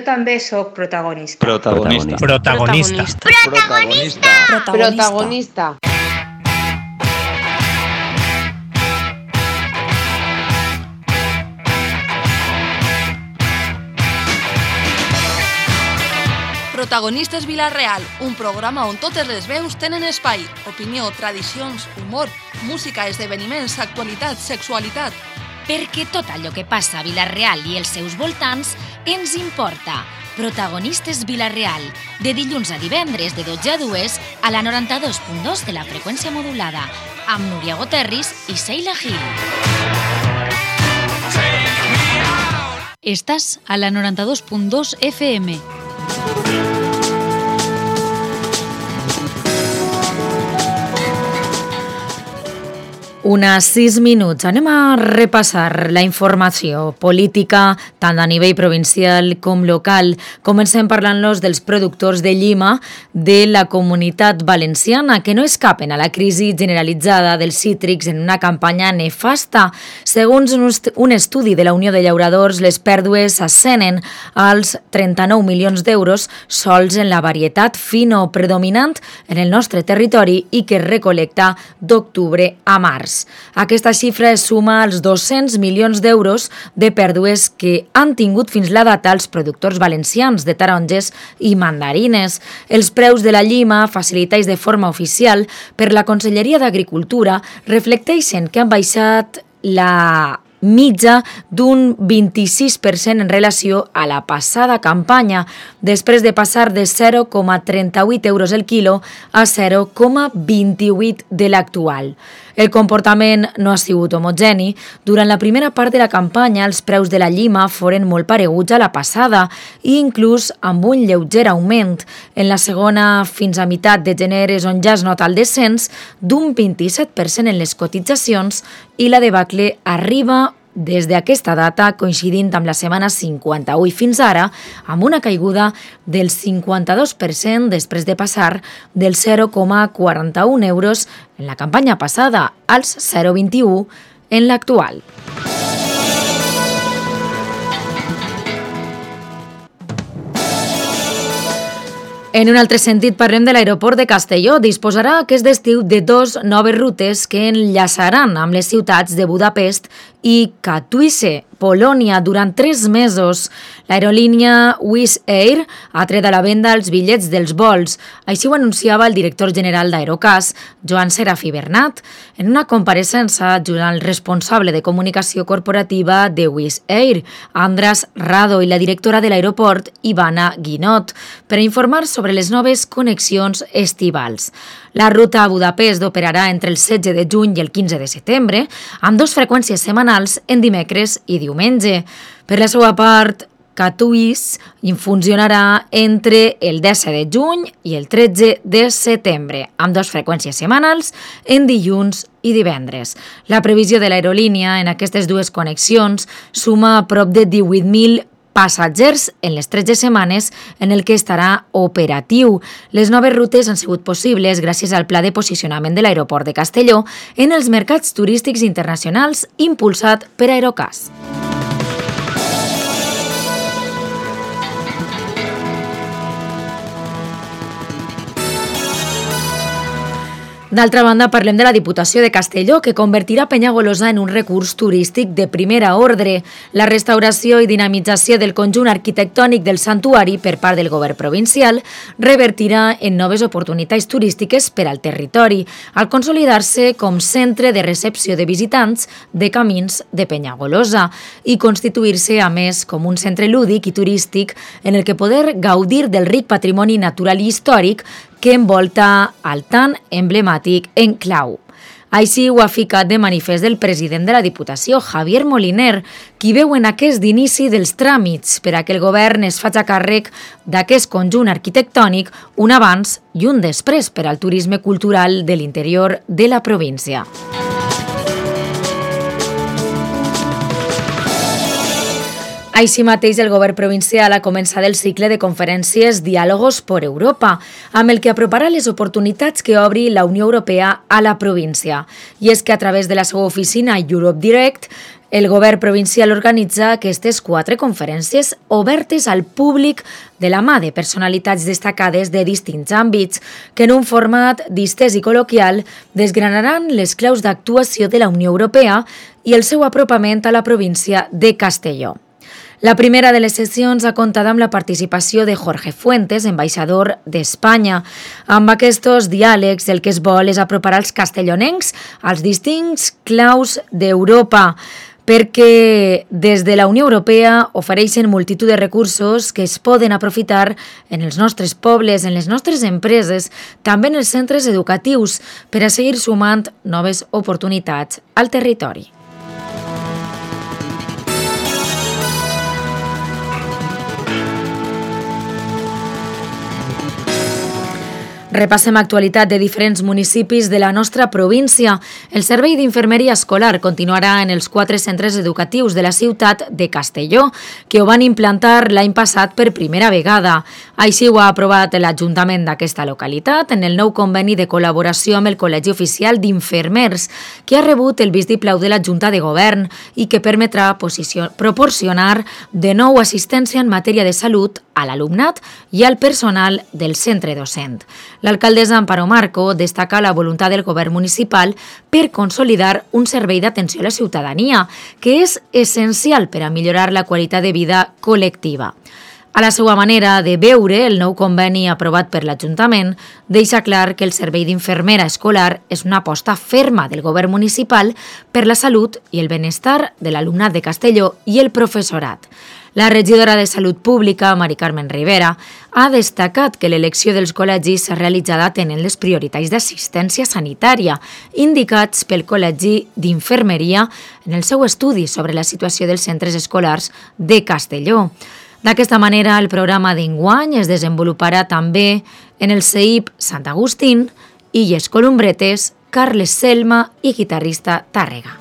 Jo també sóc protagonista. Protagonista. Protagonistes Vila-real, un programa on totes les veus tenen espai. Opinió, tradicions, humor, música, esdeveniments, actualitat, sexualitat. Perquè tot allò que passa a Vila-real i els seus voltants ens importa. Protagonistes Vila-real, de dilluns a divendres de 12 a 2 a la 92.2 de la freqüència modulada, amb Núria Goterris i Sheila Gil. Estàs a la 92.2 FM. Unes 6 minuts. Anem a repassar la informació política, tant a nivell provincial com local. Comencem parlant-los dels productors de llima de la Comunitat Valenciana, que no escapen a la crisi generalitzada dels cítrics en una campanya nefasta. Segons un estudi de la Unió de Llauradors, les pèrdues ascenen als 39 milions d'euros sols en la varietat fino predominant en el nostre territori i que es recolecta d'octubre a març. Aquesta xifra es suma als 200 milions d'euros de pèrdues que han tingut fins la data els productors valencians de taronges i mandarines. Els preus de la llima, facilitats de forma oficial per la Conselleria d'Agricultura, reflecteixen que han baixat la mitja d'un 26% en relació a la passada campanya, després de passar de 0,38 euros el quilo a 0,28 de l'actual. El comportament no ha sigut homogeni. Durant la primera part de la campanya, els preus de la llima foren molt pareguts a la passada i inclús amb un lleuger augment. En la segona, fins a meitat de gener, és on ja es nota el descens d'un 27% en les cotitzacions i la debacle arriba des d'aquesta data, coincidint amb la setmana 58 fins ara, amb una caiguda del 52% després de passar del 0,41 euros en la campanya passada als 0,21 en l'actual. En un altre sentit, parlem de l'aeroport de Castelló. Disposarà aquest estiu de 2 noves rutes que enllaçaran amb les ciutats de Budapest i Katowice, Polònia, durant 3 mesos. L'aerolínia Wizz Air ha tret a la venda els bitllets dels vols. Així ho anunciava el director general d'Aerocas, Joan Serafí Bernat, en una compareixença junt al responsable de comunicació corporativa de Wizz Air, Andras Rado, i la directora de l'aeroport, Ivana Guinot, per informar sobre les noves connexions estivals. La ruta a Budapest operarà entre el 16 de juny i el 15 de setembre, amb 2 freqüències setmanals en dimecres i diumenge. Per la seva part, Katowice funcionarà entre el 10 de juny i el 13 de setembre, amb 2 freqüències setmanals en dilluns i divendres. La previsió de l'aerolínia en aquestes 2 connexions suma a prop de 18.000 passatgers en les 13 setmanes en el que estarà operatiu. Les noves rutes han sigut possibles gràcies al pla de posicionament de l'aeroport de Castelló en els mercats turístics internacionals impulsat per Aerocas. D'altra banda, parlem de la Diputació de Castelló, que convertirà Penyagolosa en un recurs turístic de primera ordre. La restauració i dinamització del conjunt arquitectònic del santuari per part del govern provincial revertirà en noves oportunitats turístiques per al territori, al consolidar-se com centre de recepció de visitants de camins de Penyagolosa i constituir-se, a més, com un centre lúdic i turístic en el que poder gaudir del ric patrimoni natural i històric que envolta el tan emblemàtic enclau. Així ho ha ficat de manifest el president de la Diputació, Javier Moliner, qui veu en aquest inici dels tràmits per a que el govern es faci càrrec d'aquest conjunt arquitectònic un abans i un després per al turisme cultural de l'interior de la província. Així mateix, el govern provincial ha començat el cicle de conferències Diálogos por Europa, amb el que aproparà les oportunitats que obri la Unió Europea a la província. I és que a través de la seva oficina Europe Direct, El govern provincial organitza aquestes 4 conferències obertes al públic de la mà de personalitats destacades de distints àmbits que en un format distès i col·loquial desgranaran les claus d'actuació de la Unió Europea i el seu apropament a la província de Castelló. La primera de les sessions ha comptat amb la participació de Jorge Fuentes, ambaixador d'Espanya. Amb aquests diàlegs el que es vol és apropar als castellonencs als distints claus d'Europa, perquè des de la Unió Europea ofereixen multitud de recursos que es poden aprofitar en els nostres pobles, en les nostres empreses, també en els centres educatius, per a seguir sumant noves oportunitats al territori. Repassem actualitat de diferents municipis de la nostra província. El servei d'infermeria escolar continuarà en els 4 centres educatius de la ciutat de Castelló, que ho van implantar l'any passat per primera vegada. Així ho ha aprovat l'Ajuntament d'aquesta localitat en el nou conveni de col·laboració amb el Col·legi Oficial d'Infermers, que ha rebut el vistiplau de la Junta de Govern i que permetrà proporcionar de nou assistència en matèria de salut a l'alumnat i al personal del centre docent. L'alcaldessa Amparo Marco destaca la voluntat del govern municipal per consolidar un servei d'atenció a la ciutadania, que és essencial per a millorar la qualitat de vida col·lectiva. A la seva manera de veure, el nou conveni aprovat per l'Ajuntament deixa clar que el servei d'infermera escolar és una aposta ferma del govern municipal per la salut i el benestar de l'alumnat de Castelló i el professorat. La regidora de Salut Pública, Mari Carmen Rivera, ha destacat que l'elecció dels col·legis s'ha realitzat atenent les prioritats d'assistència sanitària indicats pel Col·legi d'Infermeria en el seu estudi sobre la situació dels centres escolars de Castelló. D'aquesta manera, el programa d'enguany es desenvoluparà també en el CEIP Sant Agustín, Illes Columbretes, Carles Selma i Guitarrista Tàrrega.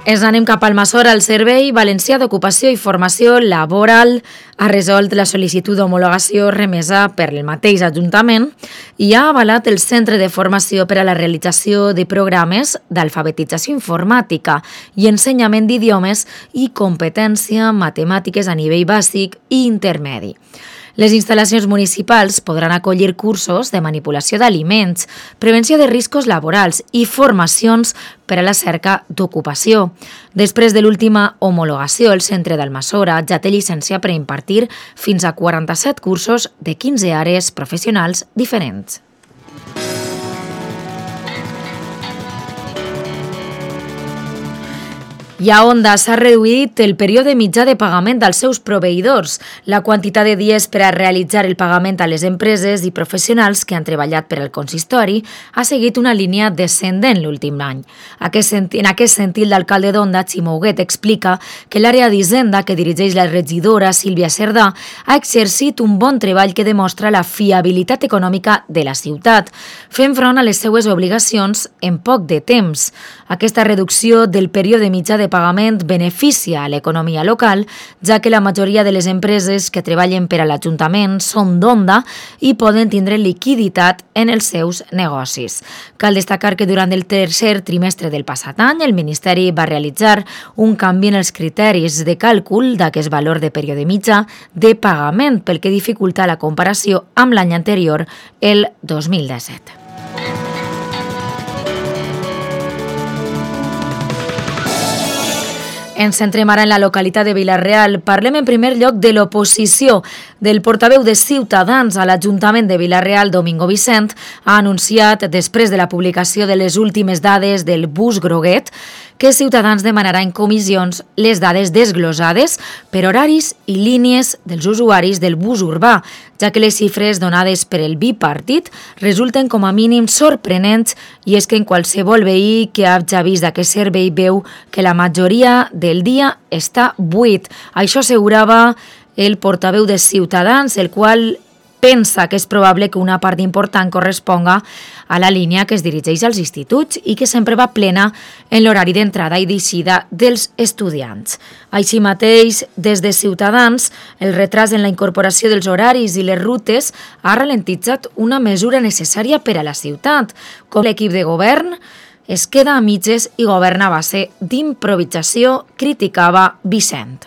Ens anem cap al Almassora. El Servei Valencià d'Ocupació i Formació Laboral ha resolt la sol·licitud d'homologació remesa per el mateix Ajuntament i ha avalat el Centre de Formació per a la realització de programes d'alfabetització informàtica i ensenyament d'idiomes i competència matemàtiques a nivell bàsic i intermedi. Les instal·lacions municipals podran acollir cursos de manipulació d'aliments, prevenció de riscos laborals i formacions per a la cerca d'ocupació. Després de l'última homologació, el Centre d'Almassora ja té llicència per impartir fins a 47 cursos de 15 àrees professionals diferents. I a Onda s'ha reduït el període mitjà de pagament dels seus proveïdors. La quantitat de dies per a realitzar el pagament a les empreses i professionals que han treballat per al consistori ha seguit una línia descendent l'últim any. En aquest sentit, l'alcalde d'Onda, Ximo Huguet, explica que l'àrea d'Hisenda que dirigeix la regidora Sílvia Cerdà ha exercit un bon treball que demostra la fiabilitat econòmica de la ciutat, fent front a les seues obligacions en poc de temps. Aquesta reducció del període mitjà de pagament beneficia a l'economia local, ja que la majoria de les empreses que treballen per a l'Ajuntament són d'Onda i poden tindre liquiditat en els seus negocis. Cal destacar que durant el tercer trimestre del passat any, el Ministeri va realitzar un canvi en els criteris de càlcul d'aquest valor de període mitjà de pagament, pel que dificulta la comparació amb l'any anterior, el 2017. Ens centrem ara en la localitat de Vila-real. Parlem en primer lloc de l'oposició. Del portaveu de Ciutadans a l'Ajuntament de Vila-real, Domingo Vicent, ha anunciat, després de la publicació de les últimes dades del bus groguet, que Ciutadans demanarà en comissions les dades desglosades per horaris i línies dels usuaris del bus urbà, ja que les xifres donades per el bipartit resulten com a mínim sorprenents, i és que en qualsevol veí que hagi vist aquest servei veu que la majoria del dia està buit. Això assegurava el portaveu de Ciutadans, el qual pensa que és probable que una part important corresponga a la línia que es dirigeix als instituts i que sempre va plena en l'horari d'entrada i d'eixida dels estudiants. Així mateix, des de Ciutadans, el retras en la incorporació dels horaris i les rutes ha ralentitzat una mesura necessària per a la ciutat, com l'equip de govern es queda a mitges i governa a base d'improvisació, criticava Vicent.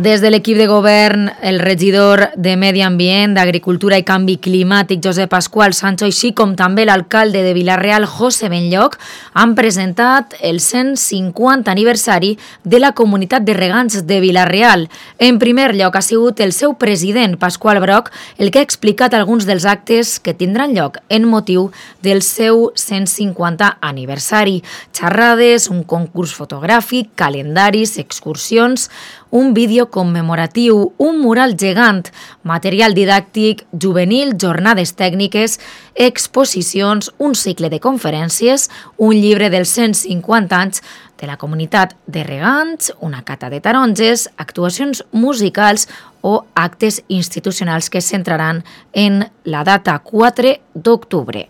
Des de l'equip de govern, el regidor de Medi Ambient, d'Agricultura i Canvi Climàtic, Josep Pasqual Sancho, així com també l'alcalde de Vila-real, José Benlloc, han presentat el 150 aniversari de la Comunitat de Regants de Vila-real. En primer lloc, ha sigut el seu president, Pasqual Broc, el que ha explicat alguns dels actes que tindran lloc en motiu del seu 150 aniversari. Xerrades, un concurs fotogràfic, calendaris, excursions, un vídeo commemoratiu, un mural gegant, material didàctic, juvenil, jornades tècniques, exposicions, un cicle de conferències, un llibre dels 150 anys de la Comunitat de Regants, una cata de taronges, actuacions musicals o actes institucionals que es centraran en la data 4 d'octubre.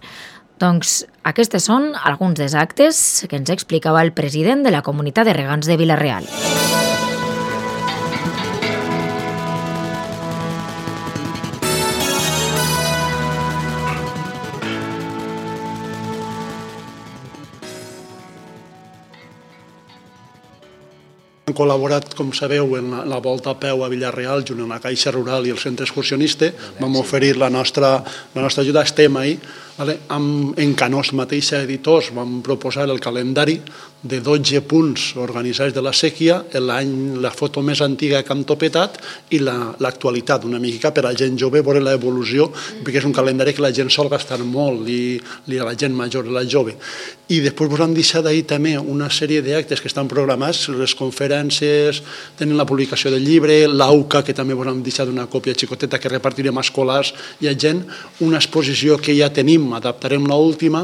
Doncs aquests són alguns dels actes que ens explicava el president de la Comunitat de Regants de Vila-real. Hem col·laborat, com sabeu, en la volta a peu a Vila-real, junt amb la Caixa Rural i el Centre Excursionista. Vam oferir la nostra ajuda, estem ahí. En Canós mateixa editors vam proposar el calendari de 12 punts organitzats de la sèquia, la foto més antiga que han topetat i l'actualitat, una mica per a la gent jove veure l'evolució, perquè és un calendari que la gent sol gastar molt i a la gent major, a la jove. I després us han deixat ahir també una sèrie d'actes que estan programats, les conferències, tenen la publicació del llibre, l'AUCA, que també us han deixat una còpia xicoteta que repartirem a escolars i a gent, una exposició que ja tenim, adaptarem l'última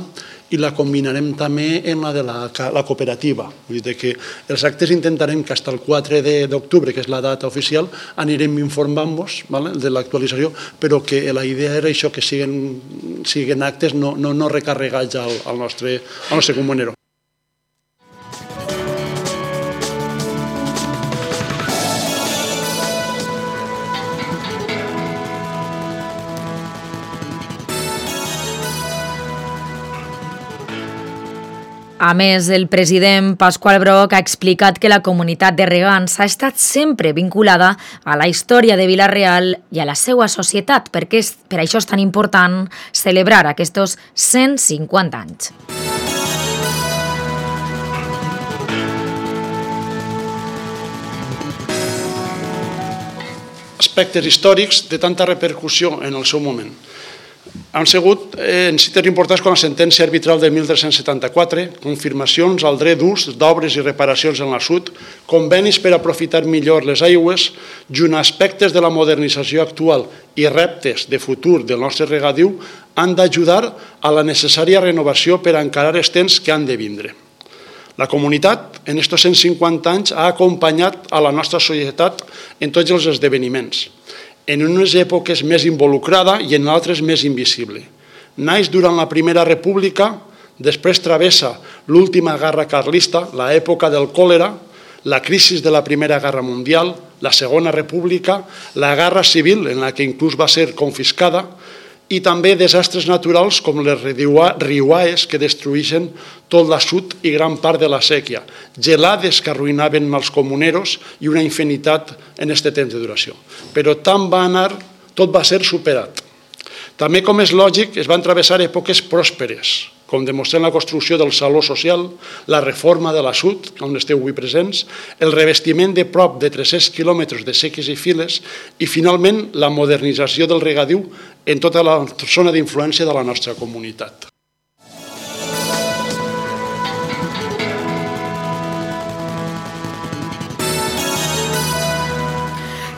i la combinarem també en la de la cooperativa. Vull dir que els actes intentarem que fins al 4 d'octubre, que és la data oficial, anirem informant-vos de l'actualització, però que la idea era això, que siguin actes no recarregats al nostre comunero. A més, el president Pasqual Broc ha explicat que la comunitat de regants ha estat sempre vinculada a la història de Vila-real i a la seva societat, perquè per això és tan important celebrar aquests 150 anys. Aspectes històrics de tanta repercussió en el seu moment. Han sigut en cites importants com la sentència arbitral de 1374, confirmacions al dret d'ús d'obres i reparacions en l'assut, convenis per aprofitar millor les aigües, junt a aspectes de la modernització actual i reptes de futur del nostre regadiu, han d'ajudar a la necessària renovació per encarar els temps que han de vindre. La comunitat, en aquests 150 anys, ha acompanyat a la nostra societat en tots els esdeveniments, en unes èpoques més involucrada i en altres més invisible. Naix durant la Primera República, després travessa l'última guerra carlista, l'època del còlera, la crisi de la Primera Guerra Mundial, la Segona República, la Guerra Civil, en la que inclús va ser confiscada, i també desastres naturals com les riuades que destruïen tot l'assut i gran part de la sèquia, gelades que arruïnaven els comuneros i una infinitat en aquest temps de duració. Però tant va anar, tot va ser superat. També, com és lògic, es van travessar èpoques pròsperes, com demostrant la construcció del Saló Social, la reforma de l'assut, on esteu avui presents, el revestiment de prop de 300 quilòmetres de sèquies i files i, finalment, la modernització del regadiu en tota la zona d'influència de la nostra comunitat.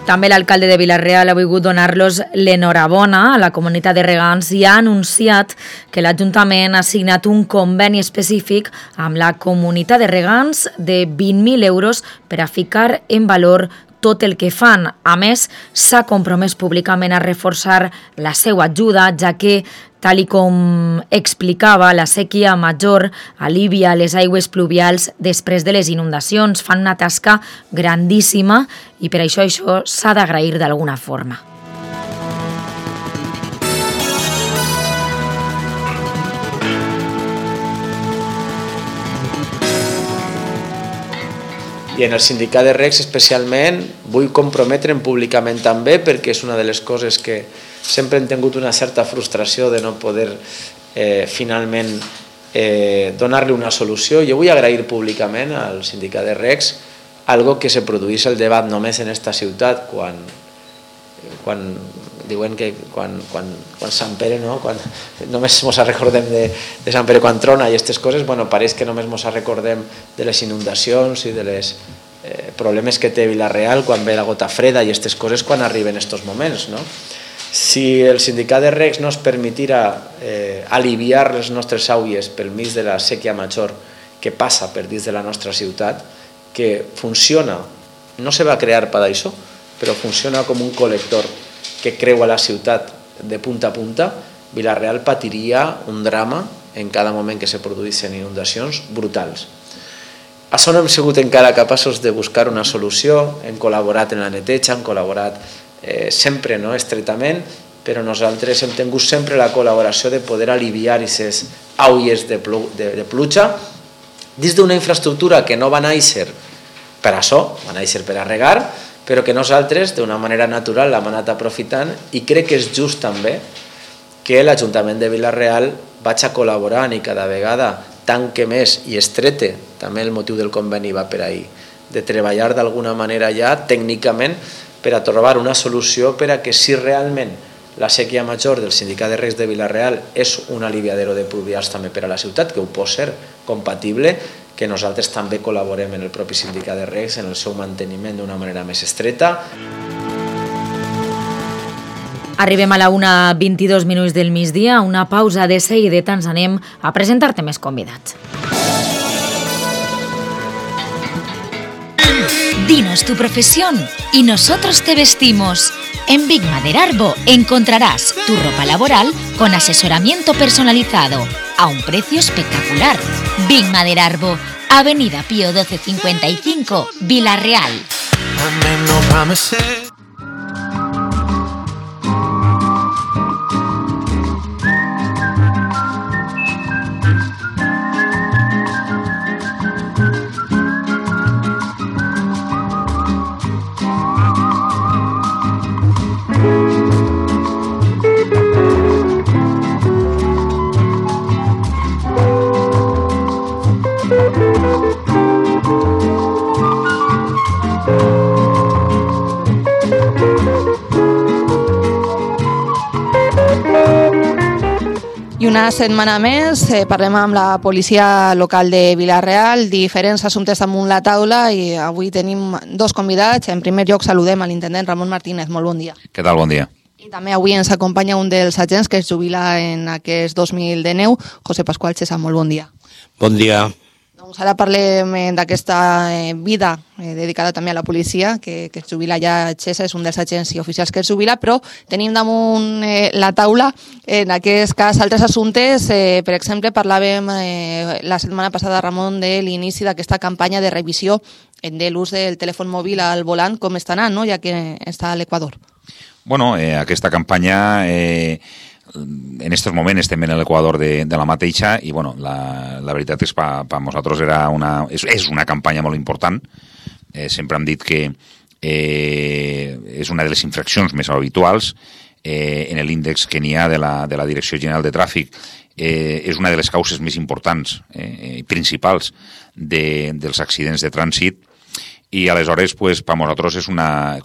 També l'alcalde de Vila-real ha volgut donar-los l'enhorabona a la comunitat de regants i ha anunciat que l'Ajuntament ha signat un conveni específic amb la comunitat de regants de 20.000 euros per a ficar en valor tot el que fan. A més, s'ha compromès públicament a reforçar la seva ajuda, ja que, tal i com explicava, la sèquia major alivia les aigües pluvials després de les inundacions. Fan una tasca grandíssima i per això s'ha d'agrair d'alguna forma. I en el sindicat de regs especialment vull comprometre'm públicament també, perquè és una de les coses que sempre hem tingut una certa frustració de no poder finalment donar-li una solució. Jo vull agrair públicament al sindicat de regs algo que se produís el debat només en esta ciutat quan diuen que quan Sant Pere, no? Quan només ens recordem de Sant Pere quan trona i aquestes coses, bueno, pareix que només ens recordem de les inundacions i de les problemes que té Vila-real quan ve la gota freda i aquestes coses quan arriben estos moments, no? Si el sindicat de regs no ens permetira aliviar les nostres àuies pel mig de la sèquia major que passa per dins de la nostra ciutat, que funciona, no se va crear per això, però funciona com un col·lector que creua la ciutat de punta a punta, Vila-real patiria un drama en cada moment que se produïssin inundacions brutals. Això no hem sigut encara capaços de buscar una solució, hem col·laborat en la neteja, hem col·laborat sempre estretament, però nosaltres hem tingut sempre la col·laboració de poder aliviar aquestes aules de pluja dins d'una infraestructura que no va néixer per això, va néixer per a regar, però que nosaltres d'una manera natural l'hem anat aprofitant i crec que és just també que l'Ajuntament de Vila-real vaig a col·laborar i cada vegada tanque més i estrete, també el motiu del conveni va per ahí, de treballar d'alguna manera ja tècnicament per a trobar una solució per a que si realment la sèquia major del sindicat de regs de Vila-real és un aliviadero de pluvials també per a la ciutat, que ho pot ser compatible, que nosaltres també col·laborem en el propi sindicat de regs en el seu manteniment d'una manera més estreta. Arribem a la 1:22 del migdia, una pausa de seguida ens anem a presentar-te més convidats. Dinos tu profesión y nosotros te vestimos. En Big Maderarbo encontrarás tu ropa laboral con asesoramiento personalizado a un precio espectacular. Big Maderarbo, Avenida Pío 1255, Vila-real. I una setmana més parlem amb la policia local de Vila-real, diferents assumptes damunt la taula i avui tenim dos convidats. En primer lloc saludem a l'intendent Ramon Martínez. Molt bon dia. Què tal? Bon dia. I també avui ens acompanya un dels agents que es jubila en aquest 2019, José Pascual Chesa. Molt bon dia. Bon dia. Doncs ara parlem d'aquesta vida dedicada també a la policia, que es jubila ja. Chesa és un dels agents i oficials que es jubila, però tenim damunt la taula, en aquest cas, altres assumptes. Per exemple, parlàvem la setmana passada, Ramon, de l'inici d'aquesta campanya de revisió de l'ús del telèfon mòbil al volant. Com està anant, no?, ja que està a l'Equador. Bueno, aquesta campanya... en estos moments estem en l'Equador de la mateixa i bueno, la veritat és que per nosaltres és una campanya molt important. Sempre hem dit que és una de les infraccions més habituals en l'índex que n'hi ha de la Direcció General de Tràfic. És una de les causes més importants i principals dels accidents de trànsit. I aleshores, pues, per nosaltres és una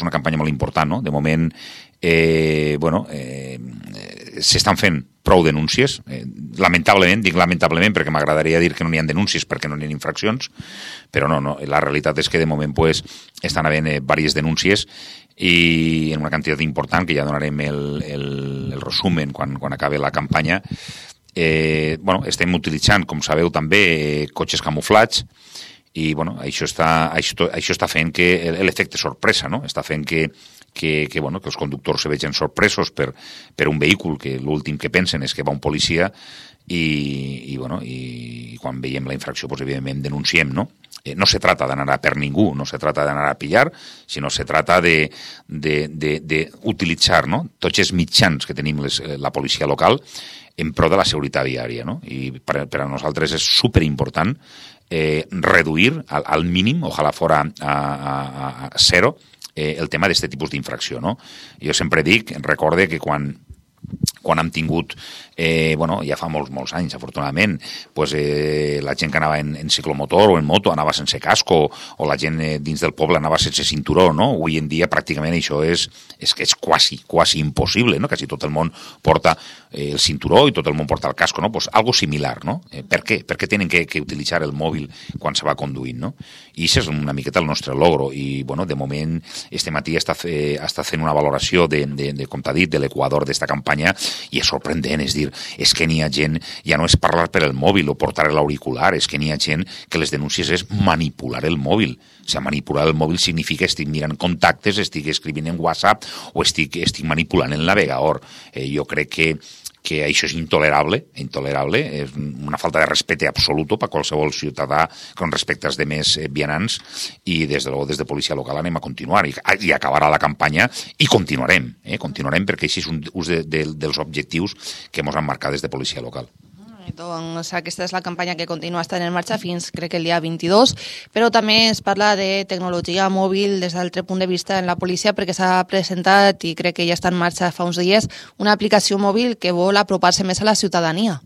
campanya molt important, no? De moment, s'estan fent prou denúncies, lamentablement, dic lamentablement perquè m'agradaria dir que no n'hi ha denúncies perquè no n'hi ha infraccions, però no, la realitat és que de moment pues, estan havent diverses denúncies i en una quantitat important, que ja donarem el resumen quan acabi la campanya. Estem utilitzant, com sabeu també, cotxes camuflats, i això està fent que l'efecte sorpresa, no? Està fent que els conductors se vegin sorpresos per un vehícul que l'últim que pensen és que va un policia i quan veiem la infracció, pues, evidentment denunciem, no? No se trata d'anar a per ningú, no se trata d'anar a pillar, sinó se trata d'utilitzar, no? Tots els mitjans que tenim la policia local en pro de la seguretat viària, no? I per a nosaltres és superimportant reduir al mínim, ojalà fora a zero, el tema d'aquest tipus d'infracció, no? Jo sempre dic, recorde que quan hem tingut, ja fa molts anys, afortunadament, la gent que anava en ciclomotor o en moto anava sense casco, o la gent dins del poble anava sense cinturó, no? Avui en dia pràcticament això és quasi impossible, no? Quasi tot el món porta el cinturó i tot el món porta el casco, no? Pues algo similar, no? Per què? Per què tenen que utilitzar el mòbil quan se va conduint, no? I això és una miqueta el nostre logro, i de moment este matí està fent una valoració com t'ha dit, de l'equador d'esta campanya, i és sorprendent, és dir, és que n'hi ha gent, ja no és parlar per el mòbil o portar l'auricular, és que n'hi ha gent que les denúncies és manipular el mòbil. O sigui, manipular el mòbil significa estic mirant contactes, estic escrivint en WhatsApp o estic manipulant el navegador. Jo crec que això és intolerable, és una falta de respecte absolut per qualsevol ciutadà con respecte als demés vianants, i des de policia local anem a continuar i acabarà la campanya i continuarem perquè això és un dels objectius que ens han marcat des de policia local. Doncs aquesta és la campanya que continua estant en marxa fins, crec que el dia 22, però també es parla de tecnologia mòbil des d'altre punt de vista en la policia, perquè s'ha presentat, i crec que ja està en marxa fa uns dies, una aplicació mòbil que vol apropar-se més a la ciutadania.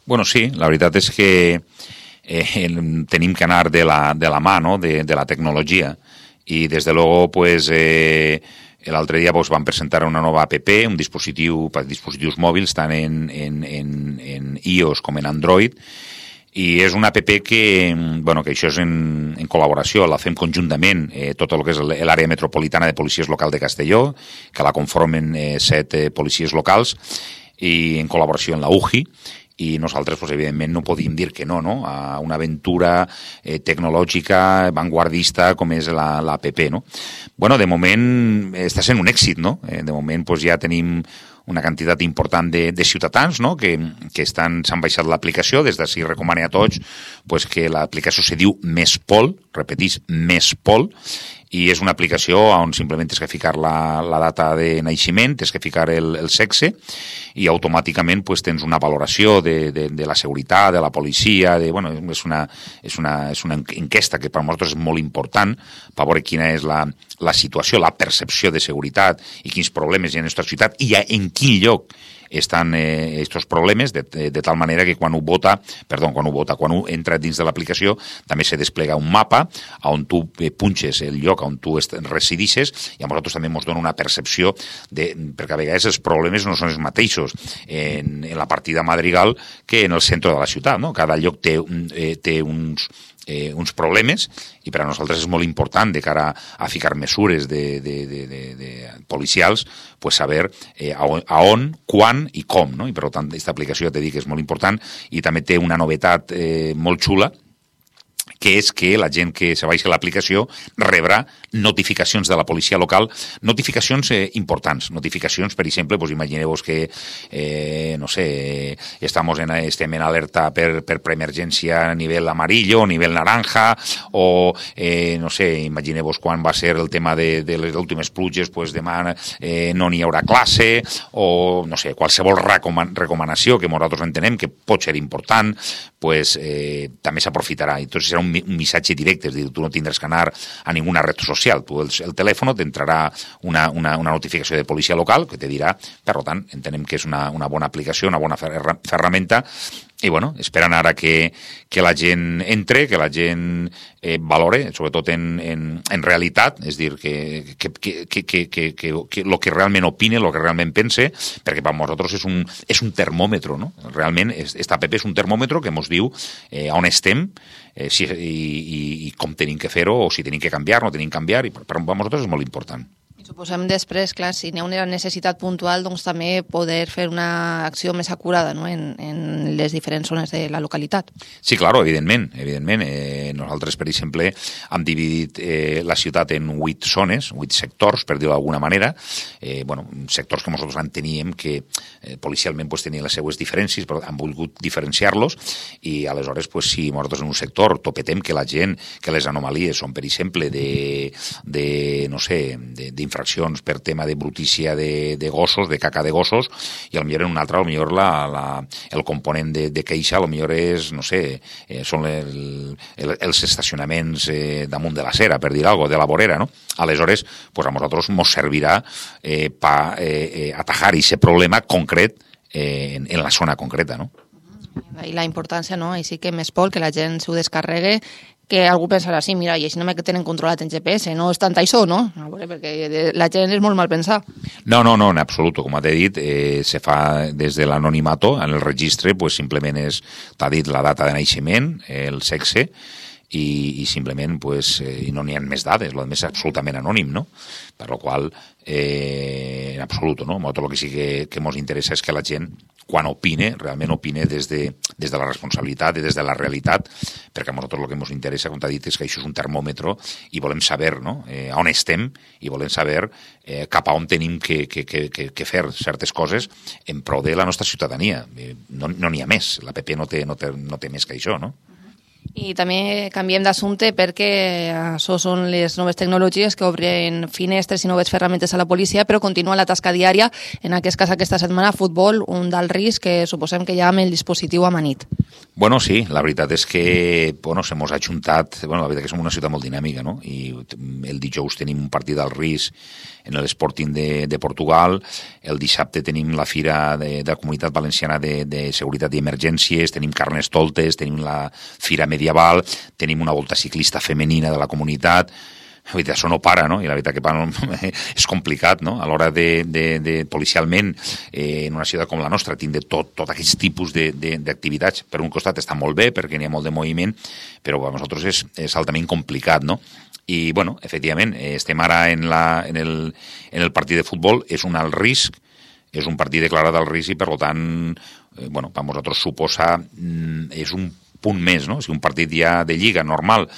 Bueno, sí, la veritat és que tenim que anar de la mà, no?, de la tecnologia, i des de luego, pues... L'altre dia van presentar una nova app, un dispositiu per dispositius mòbils, tant en iOS com en Android, i és una app que això és en col·laboració, la fem conjuntament tot el que és l'àrea metropolitana de policies local de Castelló, que la conformen 7 policies locals, i en col·laboració amb la UGI, i nosaltres, evidentment, no podíem dir que no a una aventura tecnològica, vanguardista, com és l'APP, no? De moment està sent un èxit, no? De moment ja tenim una quantitat important de ciutadans, no?, que s'han baixat l'aplicació. Des d'ací recomano a tots que l'aplicació se diu Mespol, repetís, Mespol, i és una aplicació on simplement tens que ficar la data de naixement, tens que ficar el sexe, i automàticament tens una valoració de la seguretat, de la policia, és una enquesta que per a nosaltres és molt important per veure quina és la situació, la percepció de seguretat i quins problemes hi ha en la nostra ciutat i en quin lloc estan aquests problemes, de tal manera que quan ho entra dins de l'aplicació també se desplega un mapa on tu punxes el lloc on tu residixes, i a nosaltres també ens dona una percepció perquè a vegades els problemes no són els mateixos en la partida Madrigal que en el centre de la ciutat, no? Cada lloc té uns problemes, i per a nosaltres és molt important, de cara a ficar mesures de policials, saber a on, quan i com, no? I per tant aquesta aplicació, ja t'he dit que és molt important, i també té una novetat molt xula, que és que la gent que se baixa l'aplicació rebrà notificacions de la policia local, notificacions importants, notificacions, per exemple, imagineu-vos que, estem en alerta per preemergència a nivell amarillo, a nivell naranja, o, imagineu-vos quan va ser el tema de les últimes pluges, demà no n'hi haurà classe, o, qualsevol recomanació que nosaltres entenem que pot ser important, també s'aprofitarà. I tot serà un un missatge directe, és a dir, tu no tindràs que anar a ninguna red social, tu el telèfon t'entrarà una notificació de policia local que te dirà, per tant, entenem que és una bona aplicació, una bona ferramenta, i bueno, esperen ara que la gent entre, que la gent valore, sobretot en realitat, és dir, que lo que realment opine, lo que realment pense, perquè per nosaltres és un termòmetre, no? Realment, esta app és un termòmetre que ens diu on estem i com tenim que fer-ho, o si tenim que canviar, no tenim que canviar, i per nosaltres és molt important. Suposem després, clar, si n'hi ha una necessitat puntual, doncs també poder fer una acció més acurada, no?, en les diferents zones de la localitat. Sí, claro, evidentment. Nosaltres, per exemple, hem dividit la ciutat en 8 zones, 8 sectors, per dir-ho d'alguna manera, sectors que nosaltres enteníem que policialment tenien les seues diferències, però han volgut diferenciar-los, i aleshores, si nosaltres en un sector topetem que la gent, que les anomalies són, per exemple, d'infraccions per tema de brutícia de gossos, de caca de gossos, i potser en un altre, el component de queixa, potser és, són els estacionaments damunt de la cera, per dir alguna cosa, de la vorera, no? Aleshores, a nosaltres ens servirà per atajar aquest problema concret en la zona concreta, no? I la importància, no? Així que més por que la gent s'ho descarregue, que algú pensarà, sí, mira, i així no me tenen controlat en GPS, no és tant això, no? Perquè la gent és molt mal pensar. No, en absolut, com t'he dit, se fa des de l'anonimato, en el registre, simplement t'ha dit la data de naixement, el sexe, i simplement no n'hi ha més dades, el més absolutament anònim, no? Per la qual en absolut, no? Tot el que sí que ens interessa és que la gent, quan opine, realment opine des de la responsabilitat i des de la realitat, perquè a nosaltres el que ens interessa, com t'ha dit, és que això és un termòmetre i volem saber, no?, on estem, i volem saber cap a on tenim que fer certes coses en pro de la nostra ciutadania. No n'hi ha més, l'APP no té més que això, no? I també canviem d'assumpte perquè això són les noves tecnologies que obren finestres i noves ferramentes a la policia, però continua la tasca diària, en aquest cas aquesta setmana, futbol, un d'alt risc que suposem que ja amb el dispositiu amanit. Bueno, sí, la veritat és que se mos ha ajuntat, la veritat que som una ciutat molt dinàmica, no? I el dijous tenim un partit d'alt risc en l'Sporting de Portugal, el dissabte tenim la Fira de la Comunitat Valenciana de Seguretat i Emergències, tenim Carnestoltes, tenim la Fira Medieval, tenim una volta ciclista femenina de la comunitat. La veritat, això no para, no? I la veritat que és complicat, no? A l'hora de policialment, en una ciutat com la nostra, tindre tot aquests tipus d'activitats. Per un costat està molt bé, perquè n'hi ha molt de moviment, però per nosaltres és altament complicat, no? I, efectivament, estem ara en el partit de futbol, és un alt risc, és un partit declarat alt risc i, per tant, per nosaltres suposa, és un punt més, no? Si un partit ja de lliga normal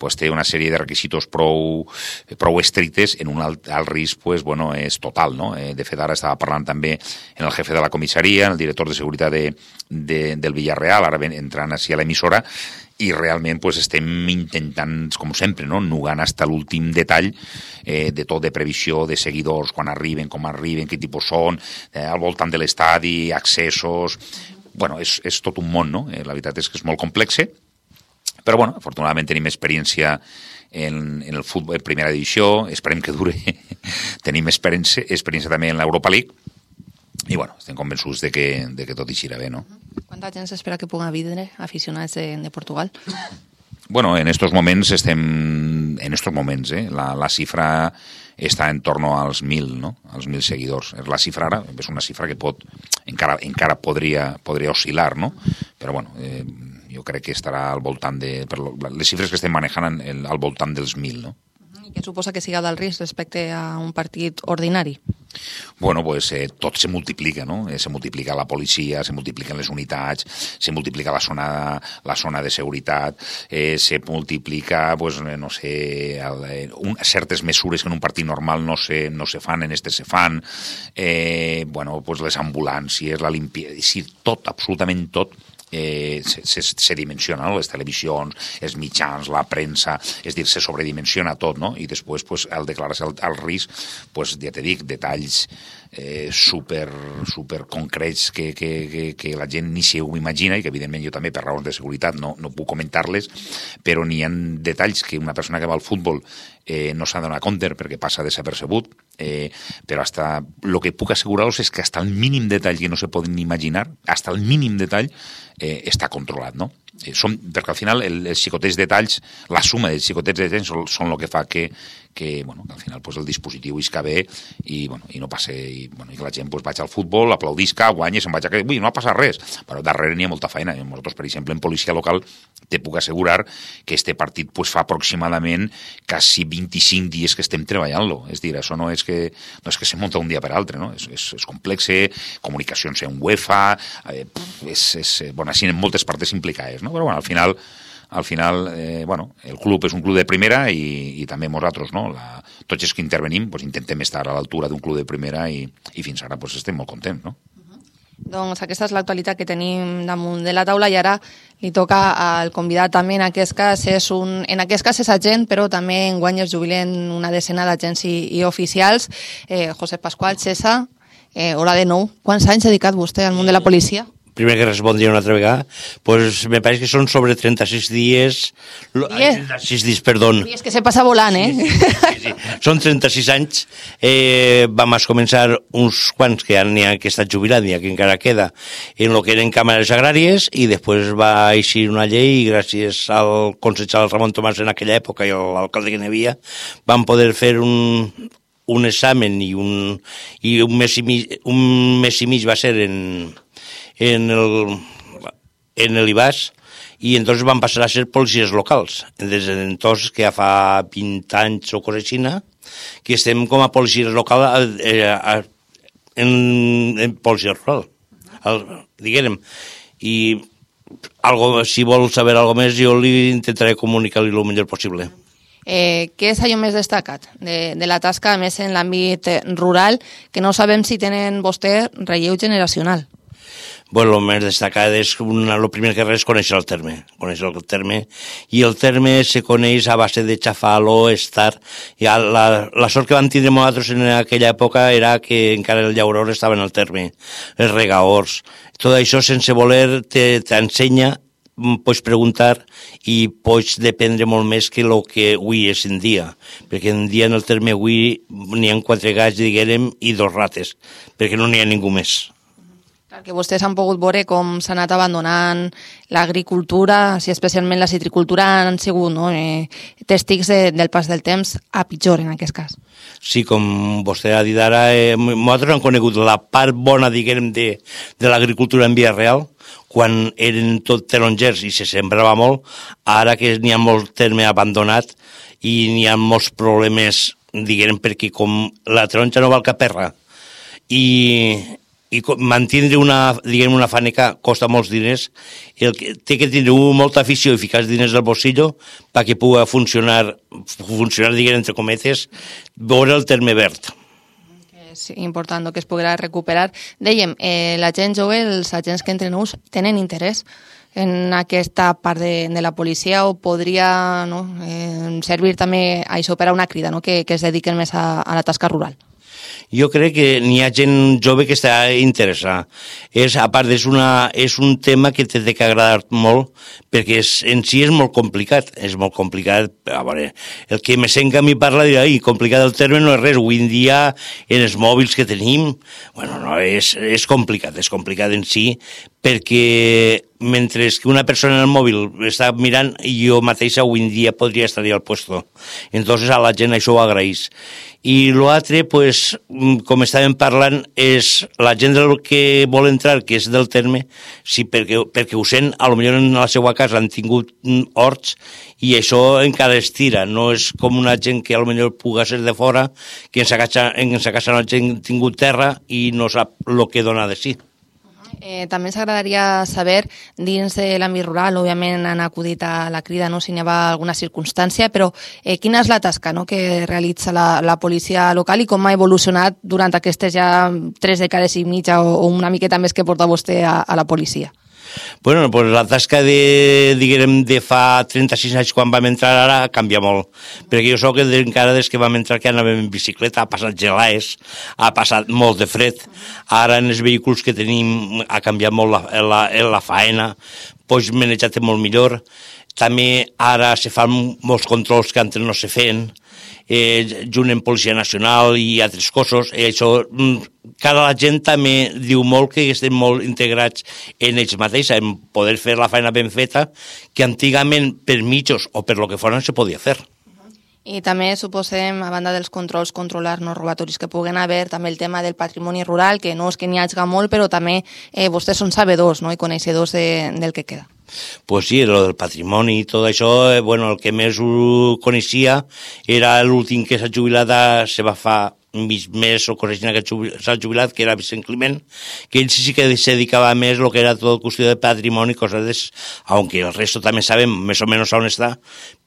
té una sèrie de requisitos prou estrictes, en un alt risc és total, no? De fet, ara estava parlant també en el jefe de la comissaria, en el director de seguretat del Villarreal, ara entrant així a l'emissora, i realment estem intentant, com sempre, no?, nugant fins a l'últim detall de tot, de previsió, de seguidors, quan arriben, com arriben, quin tipus són, al voltant de l'estadi, accessos. És tot un món, no? La veritat és que és molt complex, però, afortunadament tenim experiència en el futbol en primera divisió, esperem que dure, tenim experiència també en l'Europa League, i, estem convençuts de que tot eixirà bé, no? Quanta gent s'espera que pugui vindre aficionats de Portugal? En estos moments la xifra està en torno als 1.000, no? Als 1.000 seguidors. La xifra ara és una xifra que encara podria oscil·lar, no? Però, jo crec que estarà al voltant les xifres que estem manejant al voltant dels 1.000, no? I què suposa que siga d'alt risc respecte a un partit ordinari? Tot se multiplica, no? Se multiplica la policia, se multipliquen les unitats, se multiplica la zona de seguretat, se multiplica, certes mesures que en un partit normal no se fan, en este se fan, les ambulàncies, la limpieza, tot, absolutament tot, se dimensiona, no? Les televisions, els mitjans, la premsa, és dir, se sobredimensiona tot, no? I després, pues, al declarar-se el risc, pues, ja te dic, detalls super concrets que la gent ni s'ho imagina i que evidentment jo també per raons de seguretat no puc comentar-les, però n'hi ha detalls que una persona que va al futbol no s'ha donat compte perquè passa desapercebut, però hasta el que puc assegurar-vos és que hasta el mínim detall que no se poden imaginar, hasta el mínim detall està controlat, no? Perquè al final els xicotets detalls, la suma dels xicotets detalls són el que fa que al final pues, el dispositiu isca bé i no passe, i que la gent pues, vagi al futbol, aplaudisca, guanya, se'n vagi a... Ui, no ha passat res, però darrere n'hi ha molta feina. Nosaltres, per exemple, en policia local te puc assegurar que este partit pues, fa aproximadament quasi 25 dies que estem treballant-lo. És dir, això no és que se munta un dia per altre, no? És complex, comunicacions en UEFA, així en moltes parts implicades, no? Però al final el club és un club de primera i també nosaltres, no? Tots els que intervenim intentem estar a l'altura d'un club de primera i fins ara estem molt contents, no? Doncs aquesta és l'actualitat que tenim damunt de la taula i ara li toca al convidat també, en aquest cas és agent, però també enguany es jubilen una decena d'agents i oficials. Josep Pasqual, César, hola de nou. Quants anys ha dedicat vostè al món de la policia? Primer que respondria una altra vegada, pues me pareix que són sobre 36 dies... 36 dies, perdó. És que se passa volant, Sí. Són 36 anys. Vam començar uns quants que n'hi ha que estat jubilat, n'hi ha que encara queda, en el que eren càmeres agràries, i després va eixir una llei, i gràcies al consellero Ramon Tomàs en aquella època i a l'alcalde que n'hi havia, vam poder fer un examen i un mes i mig va ser en el IBAS, i entonces van passar a ser policies locals. Des d'entonces, que ja fa 20 anys o cosa així, que estem com a policies locals en policia rural, diguem. I si vol saber alguna més, jo li intentaré comunicar-li el millor possible. Què és allò més destacat de la tasca, a més en l'àmbit rural, que no sabem si tenen vostè relleu generacional? Bueno, el més destacat és, el primer que res, conèixer el terme. I el terme se coneix a base de xafar-lo, estar... La sort que vam tindre nosaltres en aquella època era que encara el llauror estava en el terme, els regaors. Tot això, sense voler, t'ensenya, pots preguntar i pots dependre molt més que el que avui és en dia. Perquè en dia en el terme avui n'hi ha 4 gats, diguem, i 2 rates, perquè no n'hi ha ningú més. Que vostès han pogut veure com s'ha anat abandonant l'agricultura, si especialment la citricultura han sigut tèstics del pas del temps a pitjor en aquest cas. Sí, com vostè ha dit ara, nosaltres hem conegut la part bona, diguem, de l'agricultura en via real, quan eren tot tarongers i se sembrava molt, ara que n'hi ha molt terme abandonat i n'hi ha molts problemes, diguem, perquè com la taronja no val caperra i mantindre una fàbrica costa molts diners, té que tindre molta afició i ficar els diners al bolsillo perquè pugui funcionar, diguem, entre cometes, veure el terme verd. És important que es podrà recuperar. Dèiem, la gent jove, els agents que entren nous, tenen interès en aquesta part de la policia o podria servir també a això per a una crida, que es dediquen més a la tasca rural? Jo crec que n'hi ha gent jove que està interessada. A part, és un tema que té que agradar molt, perquè en si és molt complicat. És molt complicat. A veure, el que me sent que a mi parla dirà, complicat el terme no és res. Avui en dia, en els mòbils que tenim, és complicat en si, perquè mentre que una persona en el mòbil està mirant, jo mateixa avui en dia podria estar al puesto. Entonces a la gent això ho agraeix. I l'altre, com estàvem parlant, és la gent que vol entrar, que és del terme, sí, perquè ho sent, potser en la seva casa han tingut horts i això encara es tira. No és com una gent que potser pugui ser de fora, que en sa casa no ha tingut terra i no sap el que dona de si. També ens agradaria saber, dins de l'àmbit rural, òbviament han acudit a la crida, si n'hi ha alguna circumstància, però quina és la tasca que realitza la policia local i com ha evolucionat durant aquestes ja 3 dècades i mitja o una miqueta més que porta vostè a la policia? Bueno, pues la tasca de fa 36 anys quan vam entrar ara canvia molt, perquè jo sóc encara des que vam entrar que anàvem en bicicleta, ha passat gelades, ha passat molt de fred, ara en els vehicles que tenim ha canviat molt la faena, pots manejar-te molt millor, també ara se fan molts controls que antes no se feien, junt amb Policia Nacional i altres cossos, això, cara la gent també diu molt que estem molt integrats en ells mateixos, en poder fer la feina ben feta, que antigament per mitjos o per lo que foren se podia fer. I també suposem, a banda dels controls, controlar no robatoris que puguen haver, també el tema del patrimoni rural, que no és que n'hi hagi molt, però també vostès són sabedors, no?, i coneixedors del que queda. Pues sí, lo del patrimoni i tot això, bueno, el que més ho coneixia era l'últim que s'ha jubilat, se va fa mig mes o cosina que s'ha jubilat, que era Vicent Climent, que ell sí que se dedicava més a lo que era tot qüestió de patrimoni, coses aunque el resto també sabem més o menys on està,